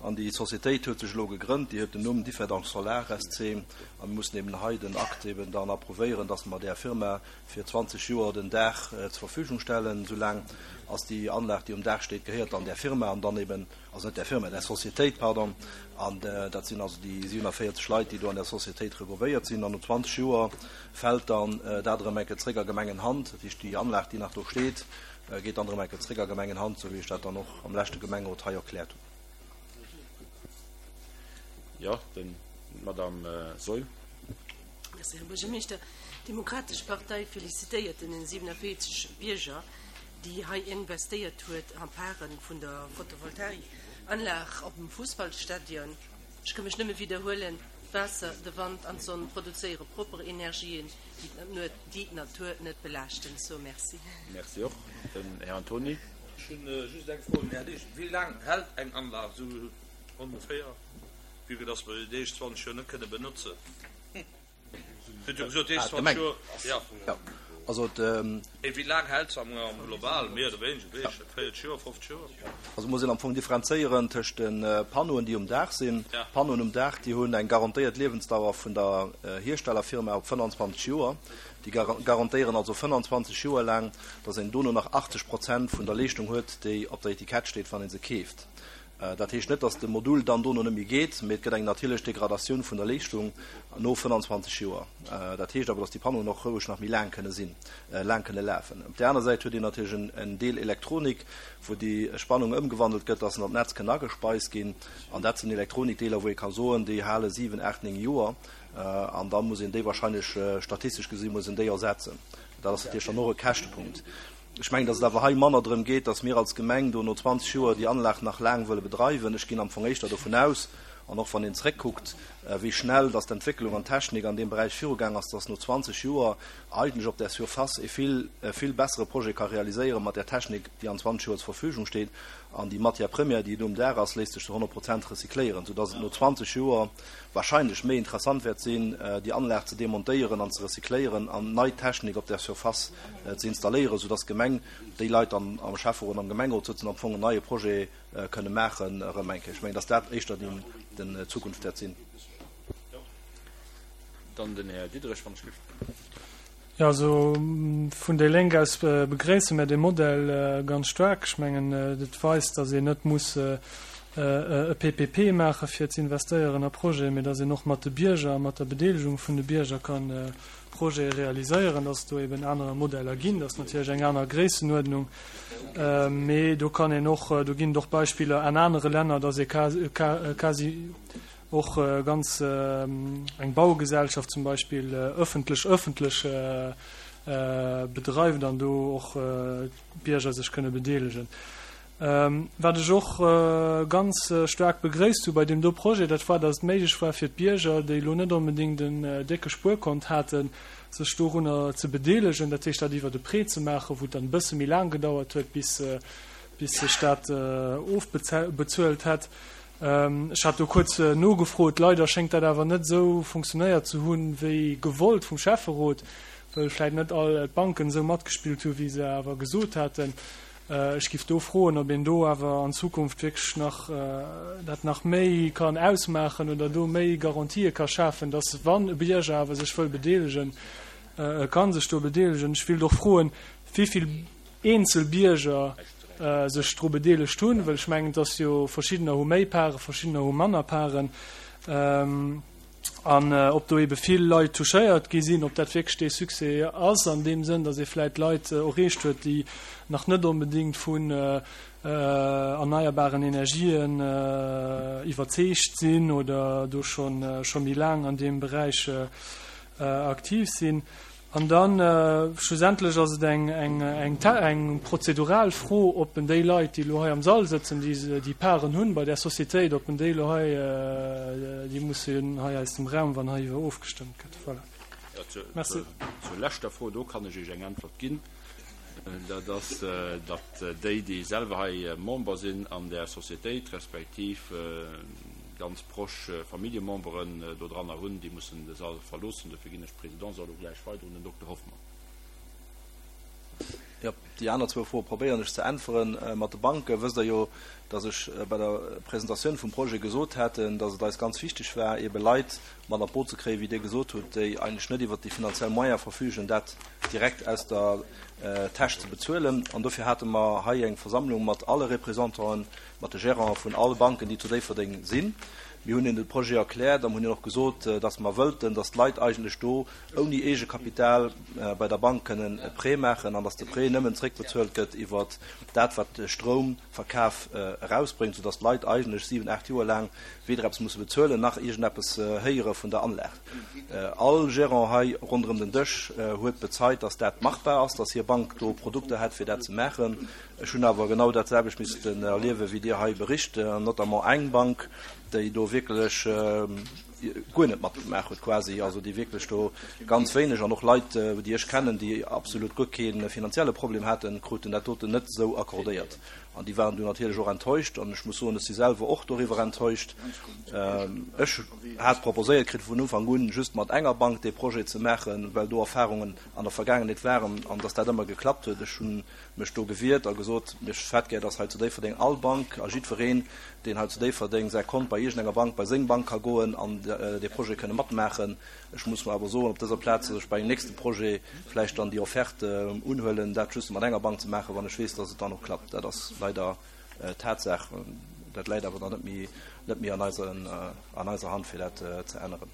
An déi Societéit huet sech elo gegrënnt, déi huet den Numm Differdange Solar SC. A mir mussen eben hei den Akt eben dann approuvéieren, dass mer där Firma fir 20 Joer den Daach zur Verfügung stellen. Esou laang ass déi Anlag, déi um Daach steet, gehéiert dann där Firma an dann eben, also net där Firma, där Societéit, pardon. An dat sinn also déi 47 Leit, déi do an där Societéit regroupéiert sinn. An no 20 Joer fält dann dat erëm eng Kéier zréck a Gemengenhand. Dat heescht, déi Anlag, déi nach do steet, geet dann erëm eng Kéier zréck a Gemengenhand, esou wéi ech dat dann och am leschte Gemengerot hei erkläert hunn. Jo, d'Madame Saeul. Merci, Här Buergermeeschter. D'Demokratesch Partei felicitéiert den 47 Bierger, déi hei investéiert huet en Pare vun der Photovoltaikanlag op dem Fussballstadion. Ech ka mech nëmme widderhuelen, D'Waasser, de Wand an d'Sonn produzéiere propper Energien, déi d'Natur net belaaschten. So merci. Merci och. Den Här Antony. Ech hunn just eng Fro un den Här Liesch. Wéi laang hält eng Anlag esou ongeféier, vue que dass mer déi éischt 20 Joer net kënne benotzen? Dir hutt jo gesot, déi éischt 20 Joer, jo. Jo, also et. Mee wéi laang hält se am Global, méi oder wéineger, weess ech net, 40 Joer, 50 Joer? Also muss een am Fong differenzéieren tëscht de Panneauen, déi um Daach sinn. D'Panneauen um Daach, déi hunn eng garantéiert Liewensdauer vun der Hierstellerfirma op 25 Joer. Déi garantéieren also 25 Joer laang, datt een dono nach 80 Prozent vun der Leeschtung huet, déi op der Etikett steet, wann ee se keeft. Dat heescht net, datt de Modul dann dono net méi geet, mee et gëtt eng natierlech Degradatioun vun der Leeschtung no 25 Joer. Dat heescht awer, datt déi Panneauen och roueg nach méi laang kënne sinn, laang kënne lafen. Op där aner Säit huet een natierlech en Deel Elektronik, wou déi Spannung ëmgewandelt gëtt, datt se an d'Netz kënnen agespeist ginn. An dat sinn Elektronikdeeler, wou ee ka soen, déi hale 7, 8, 9 Joer. An da muss een déi wahrscheinlech, statistesch gesi muss een déi ersetzen. Dat ass natierlech dann och e Käschtepunkt. Ech mengen, datt et awer hei manner drëm geet, datt mir als Gemeng do no 20 Joer déi Anlag nach laang wëlle bedreiwen. Ech ginn am Fong éischter dovun aus, an och wann een zréckkuckt, wéi schnell datt d'Entwécklung an d'Technik an deem Beräich virugaang ass, datt no 20 Joer eigentlech op där Surface ee vill, e vill bessere Projet ka realiséieren mat där Technik, déi an 20 Joer zur Verfügung steet. An déi Matière première, déi do um Daach ass, léisst sech zu 100 Prozent recycléieren, soudatt et no 20 Joer wahrscheinlech méi interessant wäert sinn, déi Anlag ze demontéieren an ze recycléieren an nei Technik op där Surface ze installéieren, soudass d'Gemeng, déi Leit dann am Schäfferot an am Gemengerot sëtzen, am Fong en neie Projet kënne maachen erëm eng Kéier. Ech mengen, dass dat éischter déi Zukunft wäert sinn. Dann den Här Diderich, wann ech giff. Jo, also vun déi Lénk aus begréisse mär dee Modell ganz staark. Ech mengen, et weist, datt een net muss e PPP maache fir ze investéieren a Projeten, mee datt een och mat de Bierger a mat der Bedeelegung vun de Bierger ka Projete realiséieren, datt et do eben aner Modeller ginn. Dat ass natierlech eng aner Gréissenuerdnung, mee do kann een och, do ginn et och Beispiller an anere Länner, datt ee quasi Och ganz eng Baugesellschaft zum Beispill ëffentlech ëffentlech bedreift an do och d'Bierger sech kënne bedeelegen. Wat ech och ganz staark begréisst hu bei deem do Projet, dat war, datt et méiglech war fir d'Bierger, déi elo net onbedéngt en décke Spuerkont haten, sech dorunner ze bedeelegen, dat heescht dat iwwert e Prêt ze maachen, wou et dann e bësse méi laang gedauert huet, bis sech dat ofbezuelt hätt. Ech hat do kuerz nogefrot. Leider schéngt dat awer net esou funktionéiert ze hunn, wéi gewollt vum Schäfferot, wëll vläit net all d'Banken esou matgespillt hu wéi se awer gesot haten. Ech giff do froen, ob een do awer an Zukunft wierklech nach dat nach méi kann ausmaachen oder do méi Garantië ka schafen, dass wann e Bierger awer sech wëll bedeelegen, e ka sech do bedeelegen. Ech wéilt och froen, wéivill eenzel Bierger sech dru bedeelegt hunn, well ech mengen, et ass jo, verschiddener hu méi Paren, verschiddener hu manner Paren, an ob do ebe vill Leit touchéiert gi sinn, ob dat wierklech dee Succès ass an deem Sënn, datt ee vläicht Leit erreecht huet, déi nach net onbedéngt vun erneierbaren Energien iwwerzeegt sinn oder do scho méi laang an deem Beräich aktiv sinn. An dann schlussendlech ass et eng prozedural Fro, ob en déi Leit, déi elo hei am Sall sëtzen, déi déi Paren hunn bei där Societéit, ob en déi elo hei, déi mussen hei aus dem Raum, wann heiriwwer ofgestëmmt gëtt. Voilà. Merci. Zur leschter Fro, do kann ech Iech eng Äntwert ginn. Dat ass, datt déi, déi selwer hei Member sinn an där Societéit, respektiv ganz proche Familljememberen dodranner hunn, déi mussen de Sall verloossen. Dofir ginn ech d'Présidence och elo gläich weider un den Dokter Hoffmann. Jo, déi aner zwou Froe probéieren ech ze äntweren. Mat de Banke wësst Der jo, dass ech bei der Presentatioun vum Projet gesot haten, dass et eis ganz wichteg war, eebe Leit mat an d'Boot ze kréien, wéi Dir gesot hutt, déi eigentlech net iwwert déi finanziell Moyene verfügen, dat direkt aus der Täsch ze bezuelen. An dofir hate mer hei eng Versammlung mat alle Représentanten, mat de Gérante vun alle Banken, déi zu Déifferdeng sinn. Mir hunn hinnen de Projet erkläert a mir hunn hinnen och gesot, dass mer wëllten, dass d'Leit eigentlech do ouni Eegekapital bei der Bank kënnen e Prêt maachen an dass de Prêt nëmmen zréckbezuelt gëtt iwwer dat, wat de Stroumverkaf erausbréngt, soudass d'Leit eigentlech siwen, aacht Joer laang weder eppes musse bezuelen nach iergendeppes héiere vun der Anlag. All Gérant hei ronderëm den Dësch huet bezeit, dass dat machbar ass, dass hir Bank do Produkter hätt, fir dat ze maachen. Ech hunn awer genau dat selwecht missten erliewen, wéi Dir hei bericht, notamment eng Bank, déi do wierklech. guer net matgemaach huet quasi, also déi wierklech do ganz wéineg, an och Leit, déi ech kennen, déi absolut guer kee finanzielle Problem haten, kruten dat doten net esou accordéiert. An déi waren du natierlech och enttäuscht. An ech muss soen, ech si selwer och doriwwer enttäuscht. Ech hat proposéiert kritt vun Ufank un, just mat enger Bank dee Projet ze maachen, well do Erfahrungen an der Vergaangenheet waren an dass dat ëmmer geklappt huet. Ech hu mech do gewiert a gesot, ech hätt gär, dass hei zu Déifferdeng all Bank a jiddwereen, deen hei zu Déifferdeng säi Kont bei iergendenger Bank, bei seng Bank ka goen an dee Projet kënne matmaachen. Ech muss mer awer soen op dëser Plaz, dass ech bei engem nächste Projet vläicht dann déi Offerte unhuelen, dat just mat enger Bank ze maachen, wann ech weess, dass et dann och klappt. Dat ass leider Tatsaach. Dat läit awer dann net méi, net méi an eiser Hand, fir dat ze änneren.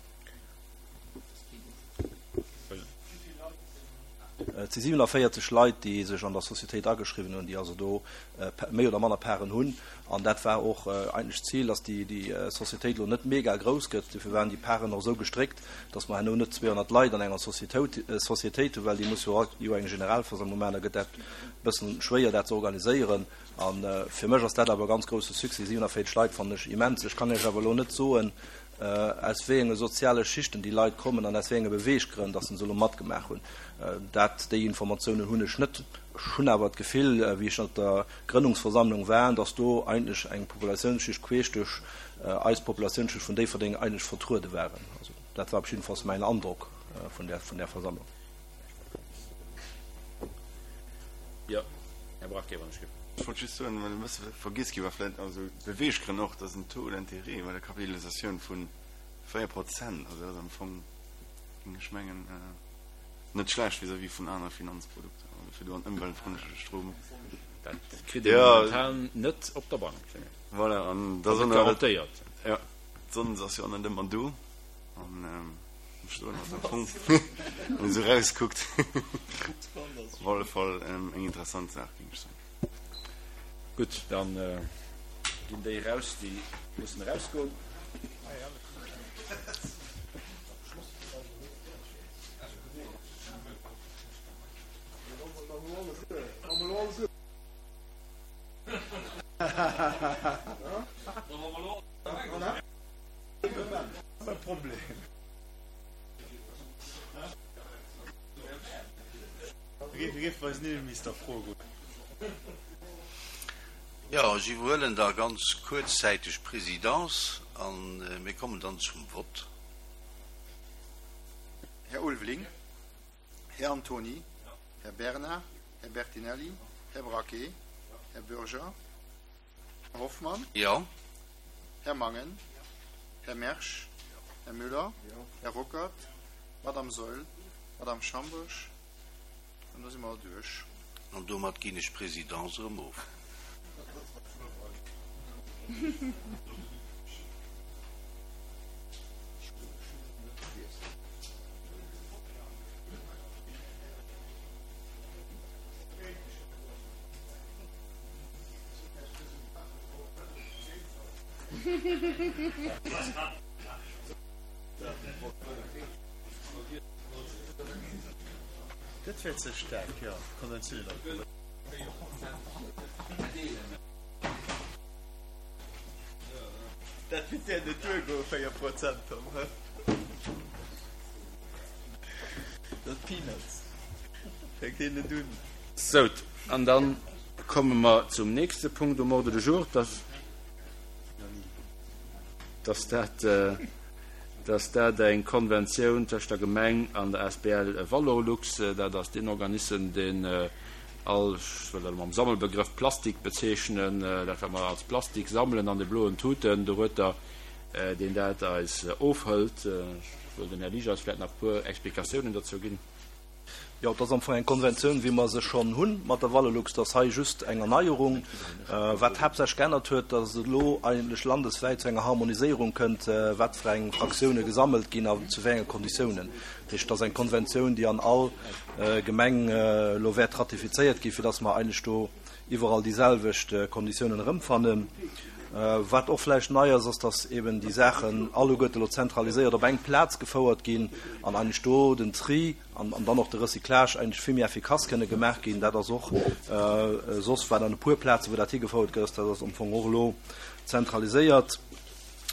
Et si 47 Leit, déi sech an der Societéit ageschriwwen hunn, déi also do méi oder manner Parten hunn. An dat war och eigentlech d'Zil, dass déi Societéit elo net mega grouss gëtt. Dofir waren déi Parten och esou gestréckt, dass mer herno net 200 Leit an enger Societéit hunn, well déi muss jo eng Generalversammlung maachen. Da gëtt dat e bëssen schwéier, dat ze organiséieren. A fir mech ass dat awer e ganz grousse Succès. 47 Leit fannen ech immens. Ech kann Iech awer elo net soen, aus wéi enge soziale Schichten déi Leit kommen an aus wéi enge Beweeggrënn, dass se elo matgemaach hunn. Dat, déi Informatiounen hunn ech net. Ech hunn awer d'Gefill, wéi ech op der Grënnungsversammlung war, dass do eigentlech eng Populatiounsschicht queesch duerch eis Populatiounsschicht vun Déifferdeng eigentlech vertruede waren. Also dat war op jiddefalls mäin Androck vun där, vun där Versammlung. Jo, Här Braquet, wann ech. Ech wollt just soen, well e bësse vergiess gi war vläicht, also d'Beweeggrënn och, dass en Taux d'intérêt bei der Kapitalisatioun vu 4 Prozent, also dat ass am Fong, géing ech mengen, net schlecht vis-à-vis vun anere Finanzprodukter, also fir do an ëmweltfrëndleche Strom. Dat kritt ee momentan net op der Bank. Voilà, an da net garantéiert. Jo, d'Sonn ass jo och net ëmmer do an ech soen, ass am Fong, wann een esou erauskuckt, op alle Fall eng interessant Saach, géing ech soen. Gutt, dann ginn déi eraus, déi mussen erausgoen. Jo, ech iwwerhuelen da ganz kuerzzäiteg d'Présidence a mir kommen dann zum Vott. Här Ulveling, Här Antony, Här Bernard, Här Bertinelli, Här Braquet, Här Bürger, Här Hoffmann, Jo. Här Mangen, Här Mersch, Här Müller, Här Ruckert, Madame Saeul, Madame Schambourg, an da si mer duerch. An domat ginn ech d'Présidence erëm of. Dat wär ze staark, jo, konventionell Alkohol. Dat wäert där net duergoen, 4 Prozent, Tom, hä? Dat Peanuts. Fänkt een net un. Sou, an dann komme mer zum nächste Punkt um Ordre du jour, dass, dass dat, dass dat eng Konventioun tëscht der Gemeng an der asbl Valorlux, dat ass deen Organissem, deen all, ech wëll dat elo mam Sammelbegrëff Plastik bezeechnen, dat wat mer als Plastik sammelen an de bloen Tuten dorueter, deen dat eis ofhëlt. Ech wëll den Här Liges eis vläicht nach e puer Explikatiounen dozou ginn. Jo, et ass am Fong eng Konventioun, wéi mer se schonn hunn mat der Valorlux. Et ass hei just eng Erneierung. Wat haaptsächlech geännert huet, datt et elo eigentlech landeswäit zu enger Harmoniséierung kënnt, wat fir eng Fraktioune gesammelt ginn a zu wéi enge Konditiounen. Dat heescht, et ass eng Konventioun, déi an all Gemeng elo wäert ratifizéiert ginn, fir datt mer eigentlech do iwwerall déi selwecht Konditiounen erëmfannen. Wat och vläicht nei ass, ass, datt eben déi Saachen alleguerte elo zentraliséiert op eng Plaz gefouert ginn an eigentlech do den Tri an dann och de Recyclage eigentlech vill méi effikass kënne gemaach ginn. Dat ass och soss war an e puer Plazen, wou dat higefouert gëtt, dat ass am Fong och elo zentraliséiert.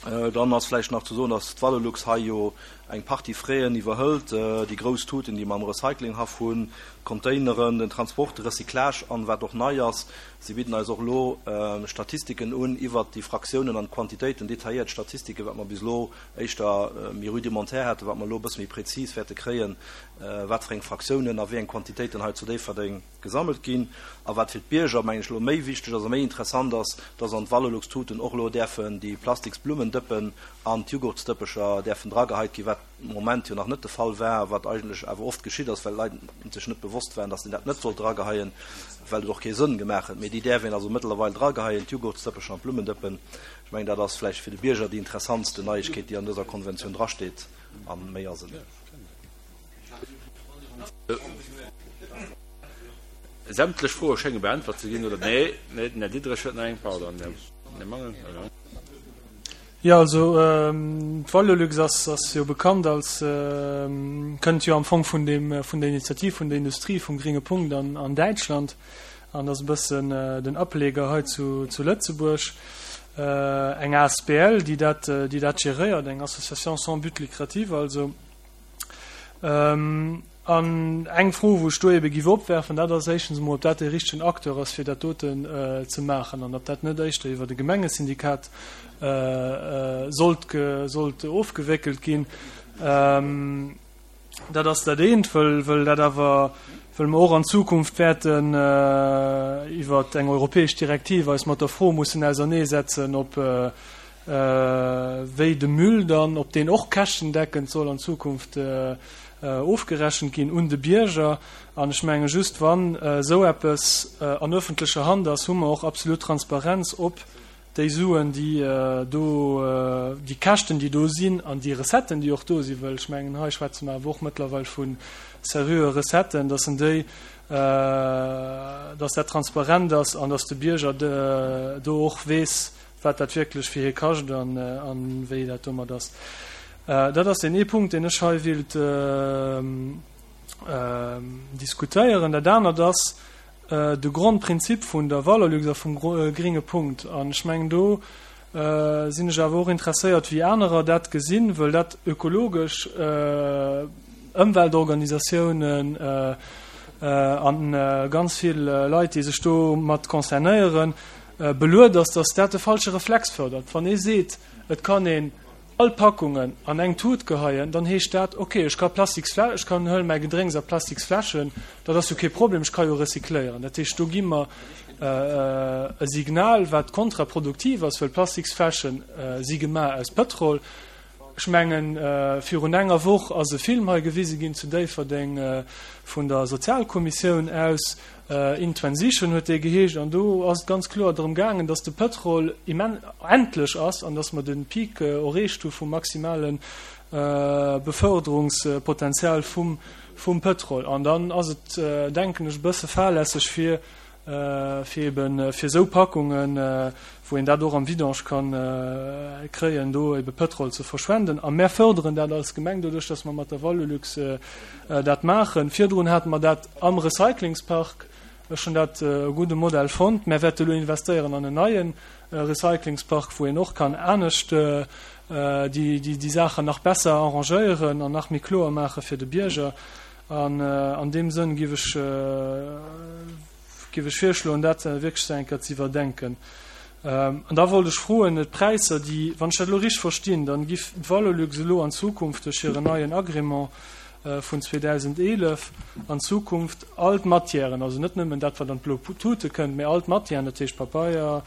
Dann ass vläicht nach ze soen, dass d'Valorlux hei jo eng Partie Fräen iwwerhëlt, déi grouss Tuten, déi mer am Recyclinghaff hunn, d'Containeren, den Transport, de Recyclage an, wat och nei ass, si bidden eis och elo Statistiken un iwwert déi Fraktiounen an d'Quantitéiten, detailléiert Statistiken, wat mer bis elo éischter méi rudimentär haten, wat mer elo e bësse méi prezis wäerte kréien, wat fir eng Fraktiounen a wéi eng Quantitéiten hei zu Déifferdeng gesammelt ginn. A wat fir d'Bierger, mengen ech, elo méi wichteg ass a méi interessant ass, dass an d'Valorlux-Tuten och elo däerfen déi plastiks Blummendëppen an d'Jugurtsdëppecher däerfen drageheit ginn, wat de Moment jo nach net de Fall war a wat eigentlech awer oft geschitt ass, well d'Leit sech net bewosst waren, dass een dat net sollt drageheien, well et och kee Sënn gemaach huet. Mee déi däerf een also mëttlerweil drageheien, d'Jugurtsdëppecher an d'Blummendëppen. Ech mengen, dat ass vläicht fir de Bierger déi interessantste Neiegkeet, déi an dëser Konventioun drasteet, a méi ass et net. Sämtlech Froe schénge beäntwert ze ginn, oder? Nee, nee, den Här Diderich huet nach eng. Pardon, den Här Mangen. Jo, also d'Valorlux ass ass jo bekannt als, kënnt jo am Fong vun deem, vun der Initiativ vun der Industrie vum gringe Punkt an an Däitschland an ass e bëssen den Ableger hei zu zu Lëtzebuerg. Eng asbl, déi dat, déi dat geréiert, eng Association sans but lucratif also. An eng Fro, wou ech do ebe giff opwerfen, dat ass éischtens emol, ob dat dee richtegen Acteur ass, fir dat doten ze maachen an ob dat net éischter iwwert e Gemengesyndikat sollt, sollt ofgewéckelt ginn. Dat ass dat eent, wëll, wëll dat awer, wëll mer och an Zukunft wäerten iwwert eng europäesch Direktiv eis mat der Fro mussen auserneesetzen, ob, wéi de Müll dann, ob deen och käschtendeckend soll an Zukunft ofgerechent ginn un de Bierger. An ech menge just, wann esou eppes an öffentlecher Hand ass, hu mer och absolut Transparenz, ob déi Suen, déi do, déi Käschten, déi do sinn, an déi Recetten, déi och do sinn, well ech mengen, hei schwätze mer awer och mëttlerweil vu seriöe Recetten, dass en déi, dass dat transparent ass an dass de Bierger do och weess, wat dat wierklech fir hie kascht an wéi dat domat ass. Dat ass deen ee Punkt, deen ech hei wéilt diskutéieren. Dat anert ass de Grondprinzip vun der Valorlux a vum gringe Punkt. An ech mengen, do sinn ech awer och interesséiert, wéi anerer dat gesinn, wëll dat ökologesch Ëmweltorganisatiounen a ganz vill Leit, déi sech domat concernéieren, Beluet ass, datt dat de falsche Reflex fërdert. Wann ee seet, et kann een all Packungen an eng Tut geheien, dann heescht dat, ok, ech ka Plastiksflä-, ech kann, huele mäi Gedrénks a Plastiksfläschen, dat ass jo kee Problem, ech ka jo recycléieren. Dat heescht, do gi mer e Signal, wat kontraproduktiv ass, well Plastiksfläsche si gemaach aus Pëtrol. Ech mengen, virun enger Woch ass e Film hei gewise ginn zu Déifferdeng vun der Sozialkommissioun aus, In Transition huet dee geheescht, an do ass et ganz kloer drëm gaangen, dass de Pëtrol immen endlech ass an dass mer de Peak erreecht hu vum maximale Beförderungspotenzial vum vum Pëtrol. An dann ass et, denken ech, e bësse fahrlässeg fir fir eben fir esou Packungen, wou een dat och am Vidange kann kréien, do ebe Pëtrol ze verschwenden. A mär förderen dat als Gemeng doduerch, dass mer mat der Valorlux dat maachen. Virdrun hate mer dat am Recyclingspark. Ech hunn dat e gudde Modell fonnt. Mär wäerte elo investéieren an en neie Recyclingspark, wou een och kann anescht déi Saachen nach besser arrangéieren an nach méi kloer maache fir de Bierger. An an deem Sënn giff ech, giff ech virschloen, dat wierklech eng Kéier ze iwwerdenken. An da wollt ech froen, d'Präisser, déi, wann ech dat elo richteg verstinn, dann giff d'Valorlux elo an Zukunft duerch hiren neien Agrément vun 2011 an Zukunft all d'Matièren, also net nëmmen dat, wat an d'blo Tute kënnt, mä all d'Matièren, dat heescht Papeier,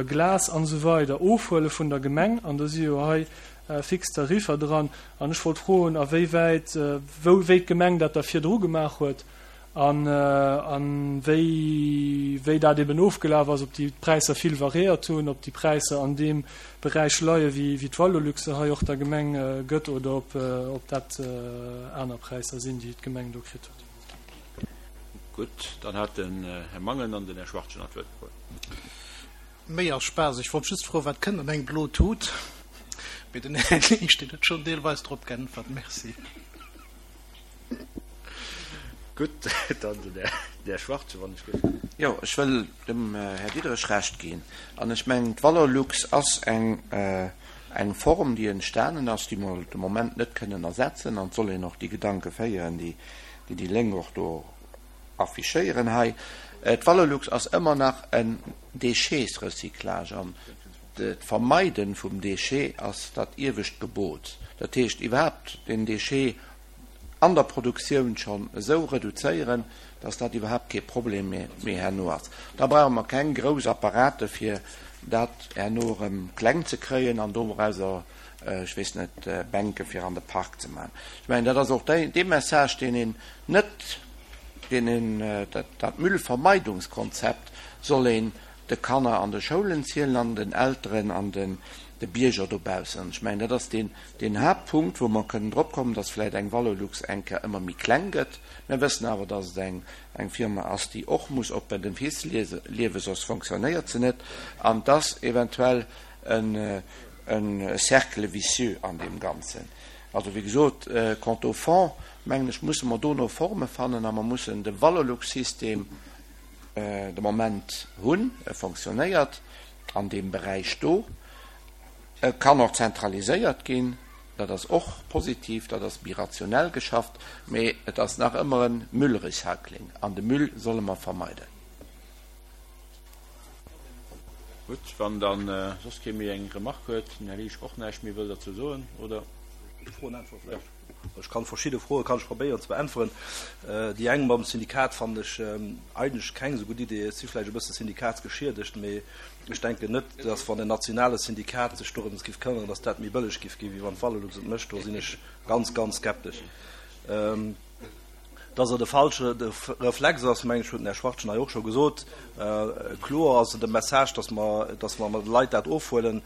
Glas an esou weider, ofhuele vun der Gemeng. An do si jo hei fix Tariffer dran. An ech wollt froen, a wéi wäit, wou, wéi d'Gemeng dat da virdru gemaach huet an, a wéi, wéi dat eben ofgelaf ass, ob déi Präisser vill variéiert hunn, ob déi Präisser an deem Beräich leie wéi, wéi d'Valorlux se hei och der Gemeng gëtt oder ob, ob dat aner Präisser sinn, déi d'Gemeng do kritt huet. Gutt, dann hat den Här Mangen an den Här Schwachtgen nach d'Wuert gefrot. Méi als Spaass, ech wollt just froen, wat kënnt an eng blo Tut? Mee den Här Liesch, deen huet schonn deelweis drop geäntwert. Merci. Gutt, dann den Här Schwartze, wann ech gutt. Jo, ech wëll dem Här Diderich Recht ginn. An ech mengen, d'Valorlux ass eng, eng Form, déi entstanen ass, déi mer de Moment net kënnen ersetzen. An et soll een och déi Gedanke féieren, déi déi Lénk och do affichéieren hei. D'Valorlux ass ëmmer nach en Déchetsrecyclage an d'Vermeiden vum Déchet ass dat iewescht Gebot. Dat heescht iwwerhaapt den Déchet an der Produktioun schonn esou reduzéieren, dass dat iwwerhaapt kee Problem méi herno ass. Da brauche mer keng grouss Apparate fir dat herno erëm kleng ze kréien an dorauser, ech weess net, Bänke fir an de Park ze maachen. Ech mengen, dat ass och dee Message, deen een net, deen een, dat Müllvermeidungskonzept soll een de Kanner an de Schoulen zielen an den Elteren an den de Bierger dobaussen. An ech mengen, dat ass deen, deen Haaptpunkt, wou mer kënnen drop kommen, dass vläicht eng Valorlux eng Kéier ëmmer méi kleng gëtt. Mir wëssen awer, dass et eng, eng Firma ass, déi och muss op den Fiiss liewen, soss fonctionnéiert se net. An dass eventuell en, e Cercle vicieux an deem Ganzen. Also, wéi gesot, quant au fond, mengen ech, musse mer do no Forme fannen a mer mussen de Valorlux-System de Moment hunn. E fonctionnéiert an deem Beräich do. E kann och zentraliséiert ginn, dat ass och positiv, dat ass méi rationell geschafft, mee et ass nach ëmmer e Müllrecycling an de Müll solle mer vermeiden. Gutt, wann da soss kee méi eng Remarque huet, den Här Liesch och näischt méi wëll derzou soen, oder? Froen äntwere vläicht. Ech kann verschidde Froe kann ech probéieren ze beäntweren. Déi eng mam Syndikat fannen ech eigentlech keng esou gutt Idee. Ech si vläicht e bësse syndikatsgeschiedegt, mee ech denken net, datt wann en nationale Syndikat sech dorëms giff këmmeren, datt dat méi bëlleg giff ginn, wéi wann d'Valorlux et mécht. Do sinn ech ganz, ganz skeptesch. Dass et e falsche Reflex ass, mengen ech, huet den Här Schwachtgen hei och scho gesot. Kloer ass et e Message, dass mer, dass mer de Leit dat ofhuelen,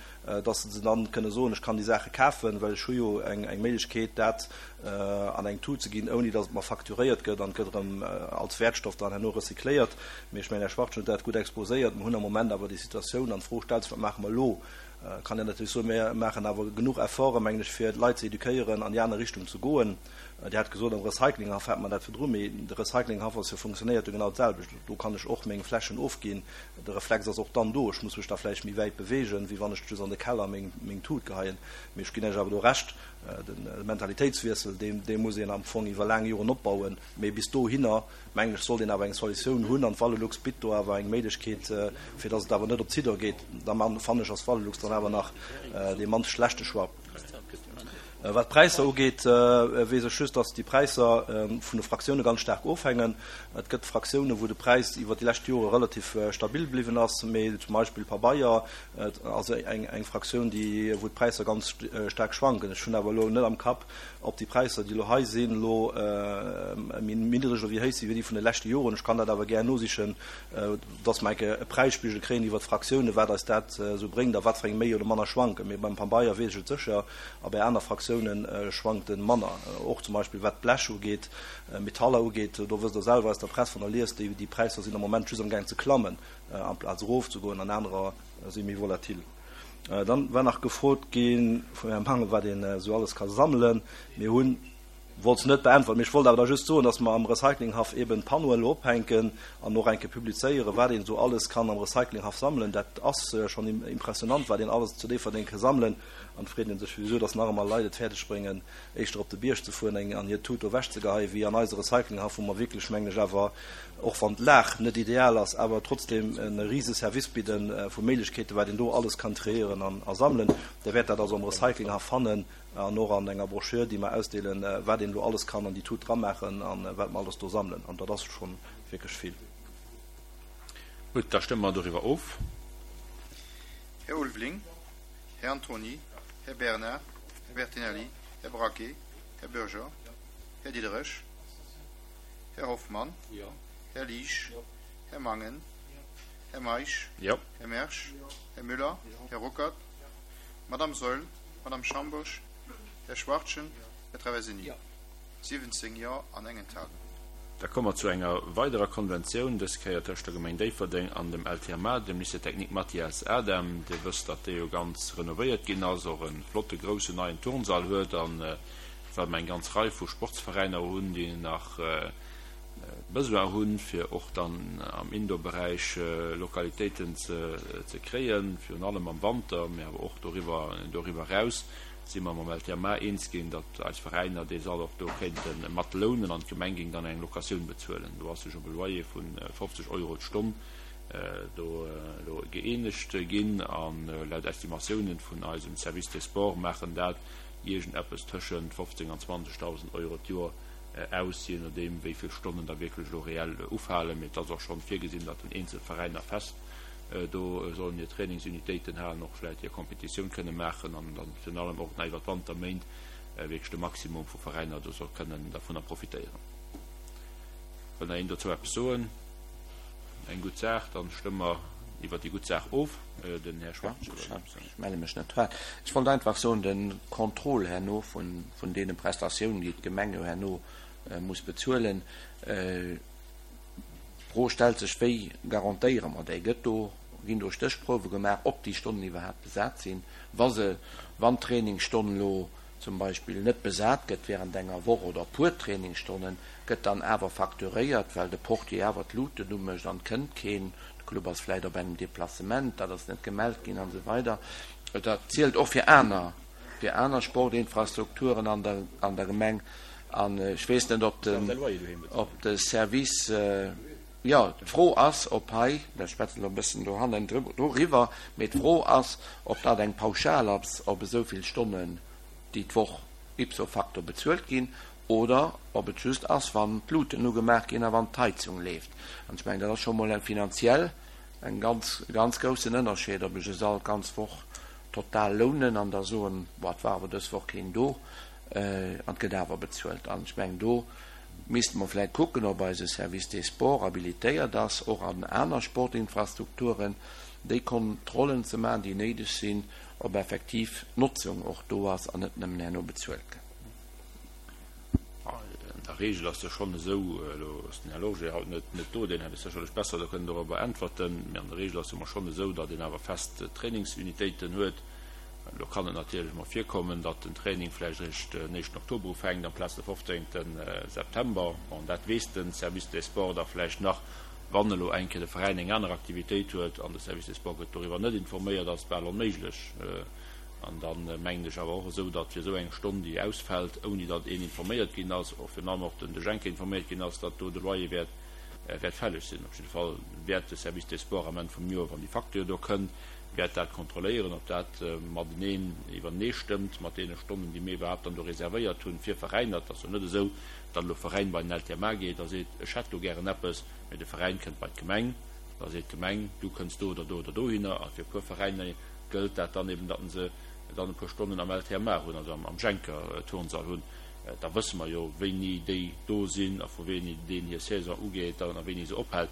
dass se dann kënne soen, ech kann déi Saache kafen, well ech hu jo eng Méiglechkeet, dat an eng Tut ze ginn, ouni dass et mer facturéiert gëtt an et gëtt erëm als Wäertstoff dann herno recycléiert. Mee ech mengen, Här Schwachtgen huet dat gutt exposéiert. Mer hunn am Moment awer déi Situatioun an d'Fro stellt sech, Wat maache mer elo? Kann een natierlech soen, mir maachen awer genuch Efforten, mengen ech, fir d'Leit ze eduquéieren, an déi aner Richtung ze goen. Dir hat gesot, am Recyclinghaff hätt mer dat virdru, mee de Recyclinghaff ass jo, funktionéiert jo genau d'selwecht. Do kann ech och meng Fläschen ofginn. De Reflex ass och dann do. Ech muss mech da vläicht méi wäit beweegen, wéi wann ech just an de Keller meng, meng Tut geheien. Mee ech ginn Iech awer do Recht, de Mentalitéitswiessel, dee, dee muss een am Fong iwwer laang Joren opbauen. Mee bis dohinner, mengen ech, sollt een awer eng Solutioun hunn. An d'Valelux bitt do awer eng Méiglechkeet, fir datt et awer net op Zidder geet. Da fannen ech, ass d'Valelux dann awer nach dee mannst schlechte Choix. Wat d'Präisser ugeet, weess ech just, dass déi Präisser vun de Fraktioune ganz staark ofhängen. Et gëtt Fraktioune wou de Präis iwwer déi lescht Jore relativ stabil bliwwen ass, mee zum Beispill Pabeier ass eng Fraktioun, déi wou d'Präisser ganz staark schwanken. Ech hunn awer elo net am Kapp, ob déi Präisser, déi elo hei sinn, elo méi niddreg oder méi héich si wéi déi vun de leschte Joren. Ech kann dat awer gär nosichen. dass mer enke e Präisspigel kréien iwwert d'Fraktiounen, wat eis dat esou bréngt a wat fir eng méi oder manner schwanken. Mee beim Pabeier weess ech et sécher a bei aner Fraktiounen schwankt e manner. Och zum Beispill wat d'Blech ugeet, Metaller ugeet, do wësst Der selwer aus der Press, wann Der liest, déi Präisser sinn am Moment just amgaang ze klammen amplaz erofzegoen an anerer si méi volatil. Dann war nach gefrot gi vum Här Mangen, wat een esou alles ka sammelen. Mir hunn. Wollt se net beäntweren, mee ech wollt awer da just soen, dass mer am Recyclinghaff eben Panneauen elo ophänken an och eng Kéier publizéieren, wat een esou alles kann am Recyclinghaff sammelen. Dat ass schonn impressionant, wat een alles zu Déifferdeng ka sammelen. An et freet ee sech wisou, dass nach ëmmer Leit et fäerdeg bréngen, éischter op de Bierg ze fueren eng an hir Tut do ewechzegeheien, wéi an eise Recyclinghaff, wou mer wierklech, mengen ech, awer, och wann d'Lag net ideal ass, awer trotzdem e rise Service bidden vu Méiglechkeeten, wat een do alles kann triéieren an a sammelen. Der wäert dat also am Recyclinghaff fannen. An och an enger Broschür, déi mer ausdeelen, wat een elo alles kann an déi Tut dramaachen a wat mer alles do sammelen. An dat ass scho wierklech vill. Gutt, da stëmme mer doriwwer of. Här Ulveling, Här Antony, Här Bernard, Här Bertinelli, Här Braquet, Här Bürger, Här Diderich, Här Hoffmann, Här Liesch, Här Mangen, Här Meisch, Här Mersch, Här Müller, Här Ruckert, Madame Saeul, Madame Schambourg, Här Schwachtgen, Här Traversini. 17 Jo an eng Enthalung. Da komme mer zu enger weiderer Konventioun, dës Kéier tëscht der Gemeng Déifferdeng an dem LTMA, dem Lycée technique Mathias Adam. Dir wësst, datt dee jo ganz renovéiert ginn ass, och e flotte groussen neien Turnsall huet a well mer eng ganz Rei vu Sportsveräiner hunn, déi nach. Besoin hunn, fir och dann am Indoor-Beräich Lokalitéiten ze kréien, virun allem am Wanter, mä awer och doriwwer doriwwer eraus, si mer mam LTMA eens ginn, datt eis Veräiner dee Sall och do kéinte mat lounen an d'Gemeng géing dann eng Locatioun bezuelen. Do ass sech op e Loyer vu 50 Euro d'Stonn do elo gëeenegt ginn a laut Estimatiounen vun eisem Service des Sports maachen dat iergendeppes tëschent 15 an 20.000 Euro d'Joer aus, jee nodeem wéi vill Stonnen da wierklech elo reell ufalen. Mee et ass och schonn virgesinn, datt den eenzel Veräiner fest do sollen hir Trainingsunitéiten halen, och vläicht hir Competitioun kënne maachen an dann virun allem och nach iwwer d'Wanterméint wierklech de Maximum vu Veräiner do soll kënnen dervunner profitéieren. Wëll nach een dozou eppes soen? Eng gutt Saach, dann stëmme mer iwwer déi gutt Saach of. Den Här Schwarz. Ech melle mech net. Ech wollt einfach soen, de Contrôle herno vun deene Prestatiounen, déi d'Gemeng jo herno muss bezuelen, d'Fro stellt sech, wéi garantéiere mer déi? Gëtt do, ginn do Stéchprouwe gemaach, ob déi Stonnen iwwerhaapt besat sinn? Wa se, wann d'Trainingsstonn elo zum Beispill net besat gëtt während enger Woch oder e puer Trainingsstonnen, gëtt dann awer facturéiert, well de Portier awer d'Luuten umécht an et kënnt keen, de Club ass vläicht op engem Deplacement, dat ass net gemellt ginn an esou weider. Dat zielt och fir aner, fir aner Sportinfrastrukturen an der, an der Gemeng. An ech weess net, ob den, ob de Service, jo, d'Fro ass, ob hei, ech schwätzen elo e bëssen dohannen doriwwer, mee d'Fro ass, ob dat eng Pauschal ass op esou vill Stonnen, déi d'Woch ipso facto bezuelt ginn, oder ob et just ass, wann d'Luuten ugemaach ginn a wann d'Heizung leeft. An ech mengen, dat ass scho mol eng finanziell en ganz, ganz groussen Ënnerscheed, ob ech e Sall d'ganz Woch total lounen an da soen, Boah, et war awer dës Woch keen do, an et gëtt awer bezuelt. An ech mengen, do misste mer vläicht kucken, ob eise Service des Sports habilitéiert ass, och an aner Sportinfrastrukturen déi Kontrollen ze maachen, déi néideg sinn, ob effektiv d'Notzung och do ass an net nëmmen herno bezuelt gëtt. An der Regel ass jo schonn esou, elo ass den Här Lorgé haut net net do, deen hätt et sécherlech besser do kënnen dorobber äntwerten, mee an der Regel ass jo emmer schonn esou, datt een awer fest Trainingsunitéiten huet. Elo kann et natierlech emol virkommen, datt den Training vläicht eréischt den éischten Oktober ufänkt amplaz de fofzéngte September. Bon, dat weess de Service des Sports da vläicht nach, wann elo eng Kéier de Veräin eng aner Aktivitéit huet an de Service des Sports gëtt doriwwer net informéiert, ass et bal onméiglech. An da mengen ech awer och esou, datt fir esou eng Stonn, déi ausfält, ouni datt een informéiert ginn ass, och virun allem och den De Jenke informéiert ginn ass, datt do de Loyer wäert wäert fälleg sinn. Op jidde Fall wäert de Service des Sports am Enn vum Joer, wann déi Facture do kënnt, wäert dat kontrolléieren, ob dat mateneen iwwertenee stëmmt mat deene Stonnen, déi mir iwwerhaapt dann do reservéiert hunn fir Veräiner. Et ass jo net esou, datt elo e Veräin bei den LTMA geet a seet, ech hätt do gären eppes, mee de Veräin kënnt bei d'Gemeng, da seet d'Gemeng, du kënns do oder do oder dohinner. A fir e puer Veräiner gëllt dat dann eben, datt se dann e puer Stonnen am LTMA hunn, also am Schenker Turnsall hunn. Da wësse mer jo, wéini déi do sinn a vu wéini deen hir Saison ugeet a wéini se ophält.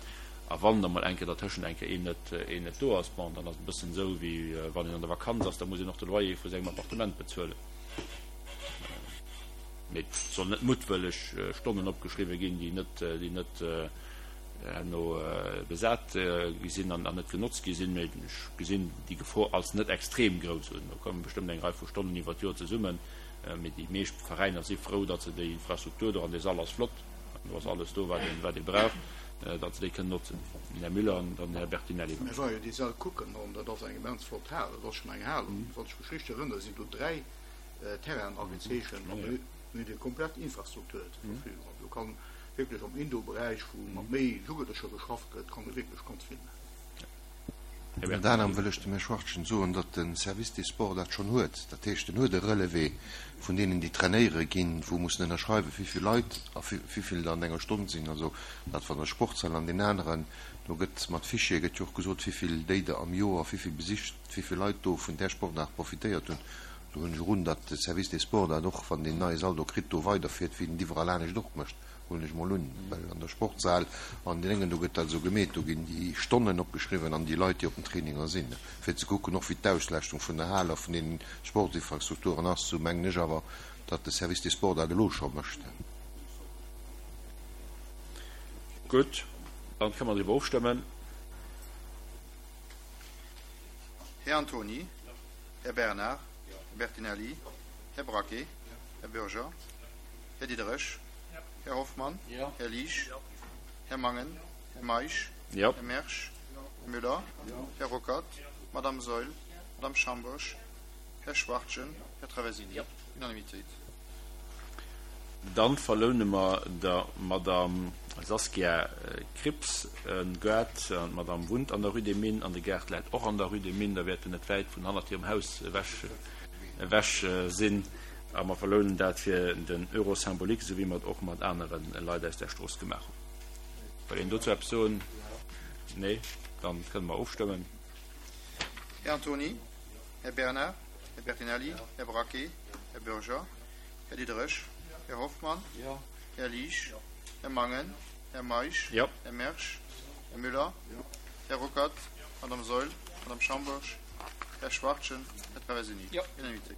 A wann da mol eng Kéier dertëschent eng Kéier een net, een net do ass, bon, dann ass et e bëssen esou, wéi wann een an der Vakanz ass, da muss een och de Loyer vu sengem Appartement bezuelen. Mee et sollen net muttwëlleg Stonnen opgeschriwwen ginn, déi net, déi net herno besat gi sinn an net genotzt gi sinn. Mee ech gesinn déi Gefor als net extrem grouss un. Do komme bestëmmt eng Rei vu Stonnen iwwer d'Joer zesummen. Mee déi meescht Veräiner si frou, datt se déi Infrastruktur do, an dee Sall ass flott, do ass alles do, wat een, wat ee brauch, datt se déi kënnen notzen. Den Här Müller an dann den Här Bertinelli. Ech war jo déi Säll kucken an dat ass eng immens flott Hal. Dat ass schonn eng Hal. Wann ech mech richteg erënnere sinn do 3 Terrainen agezeechent an do hunn déi komplett Infrastruktur zur Verfügung. Also do kann wierklech am Indoor-Beräich, wou mat méi Jugendlecher geschafft gëtt, kann ee wierklech ganz vill maachen. Ënnert anerem wëll ech dem Här Schwachtgen soen, datt de Service des Sports dat schonn huet. Dat heescht, en huet e Relevé vun deenen, déi trainéiere ginn, wou mussen ënnerschreiwen, wéi vill Leit a wéi vill der an enger Stonn sinn. Also dat van der Sportshal an deen aneren. Do gëtt mat Fichiere gëtt jo och gesot, wéi vill déi der am Joer, wéi vill besicht, wéi vill Leit do vun där Sportaart profitéiert hunn. Do hunn ech och un, datt de Service des Sports dat och, wann deen neie Sall do kritt, do weiderfiert, wéi en et iwwerall anescht och mécht. Huelen ech mol un, well an der Sportshal an den Déngen, do gëtt dat esou gemeet, do ginn déi Stonnen opgeschriwwen an déi Leit, déi op den Traininger sinn, fir ze kucken och wéi d'Auslaaschtung vun der Hal a vun den Sportsinfrastrukturen ass. Sou mengen ech awer, datt de Service des Sports dat elo scho mécht. Gutt, dann kënne mer driwwer ofstëmmen. Här Antony, Här Bernard, Här Bertinelli, Här Braquet, Här Bürger, Här Diderich, Här Hoffmann, Här Liesch, Jo. Här Mangen, Här Meisch, Jo. Här Mersch, Här Müller, Här Ruckert, Madame Saeul, Madame Schambourg, Här Schwachtgen, Här Traversini. Unanimitéit. Dann verloune mer der Madame Saskia Krieps e Gaart. D'Madame wunnt an der Rue des Mines an de Gaart läit och an der Rue des Mines. Da wäert en net wäit vun hannert hirem Haus ewech ewech sinn. A mer verlounen dat fir den Euro symbolique, esou wéi mer et och mat anere Leit aus där Strooss gemaach hunn. Wëll een dozou eppes soen? Nee? Dann kënne mer ofstëmmen. Här Antony, Här Bernard, Här Bertinelli, Här Braquet, Här Bürger, Här Diderich, Här Hoffmann, Här Liesch, Här Mangen, Här Meisch, Här Mersch, Här Müller, Här Ruckert, Madame Saeul, Madame Schambourg, Här Schwachtgen, Här Traversini. Unanimitéit.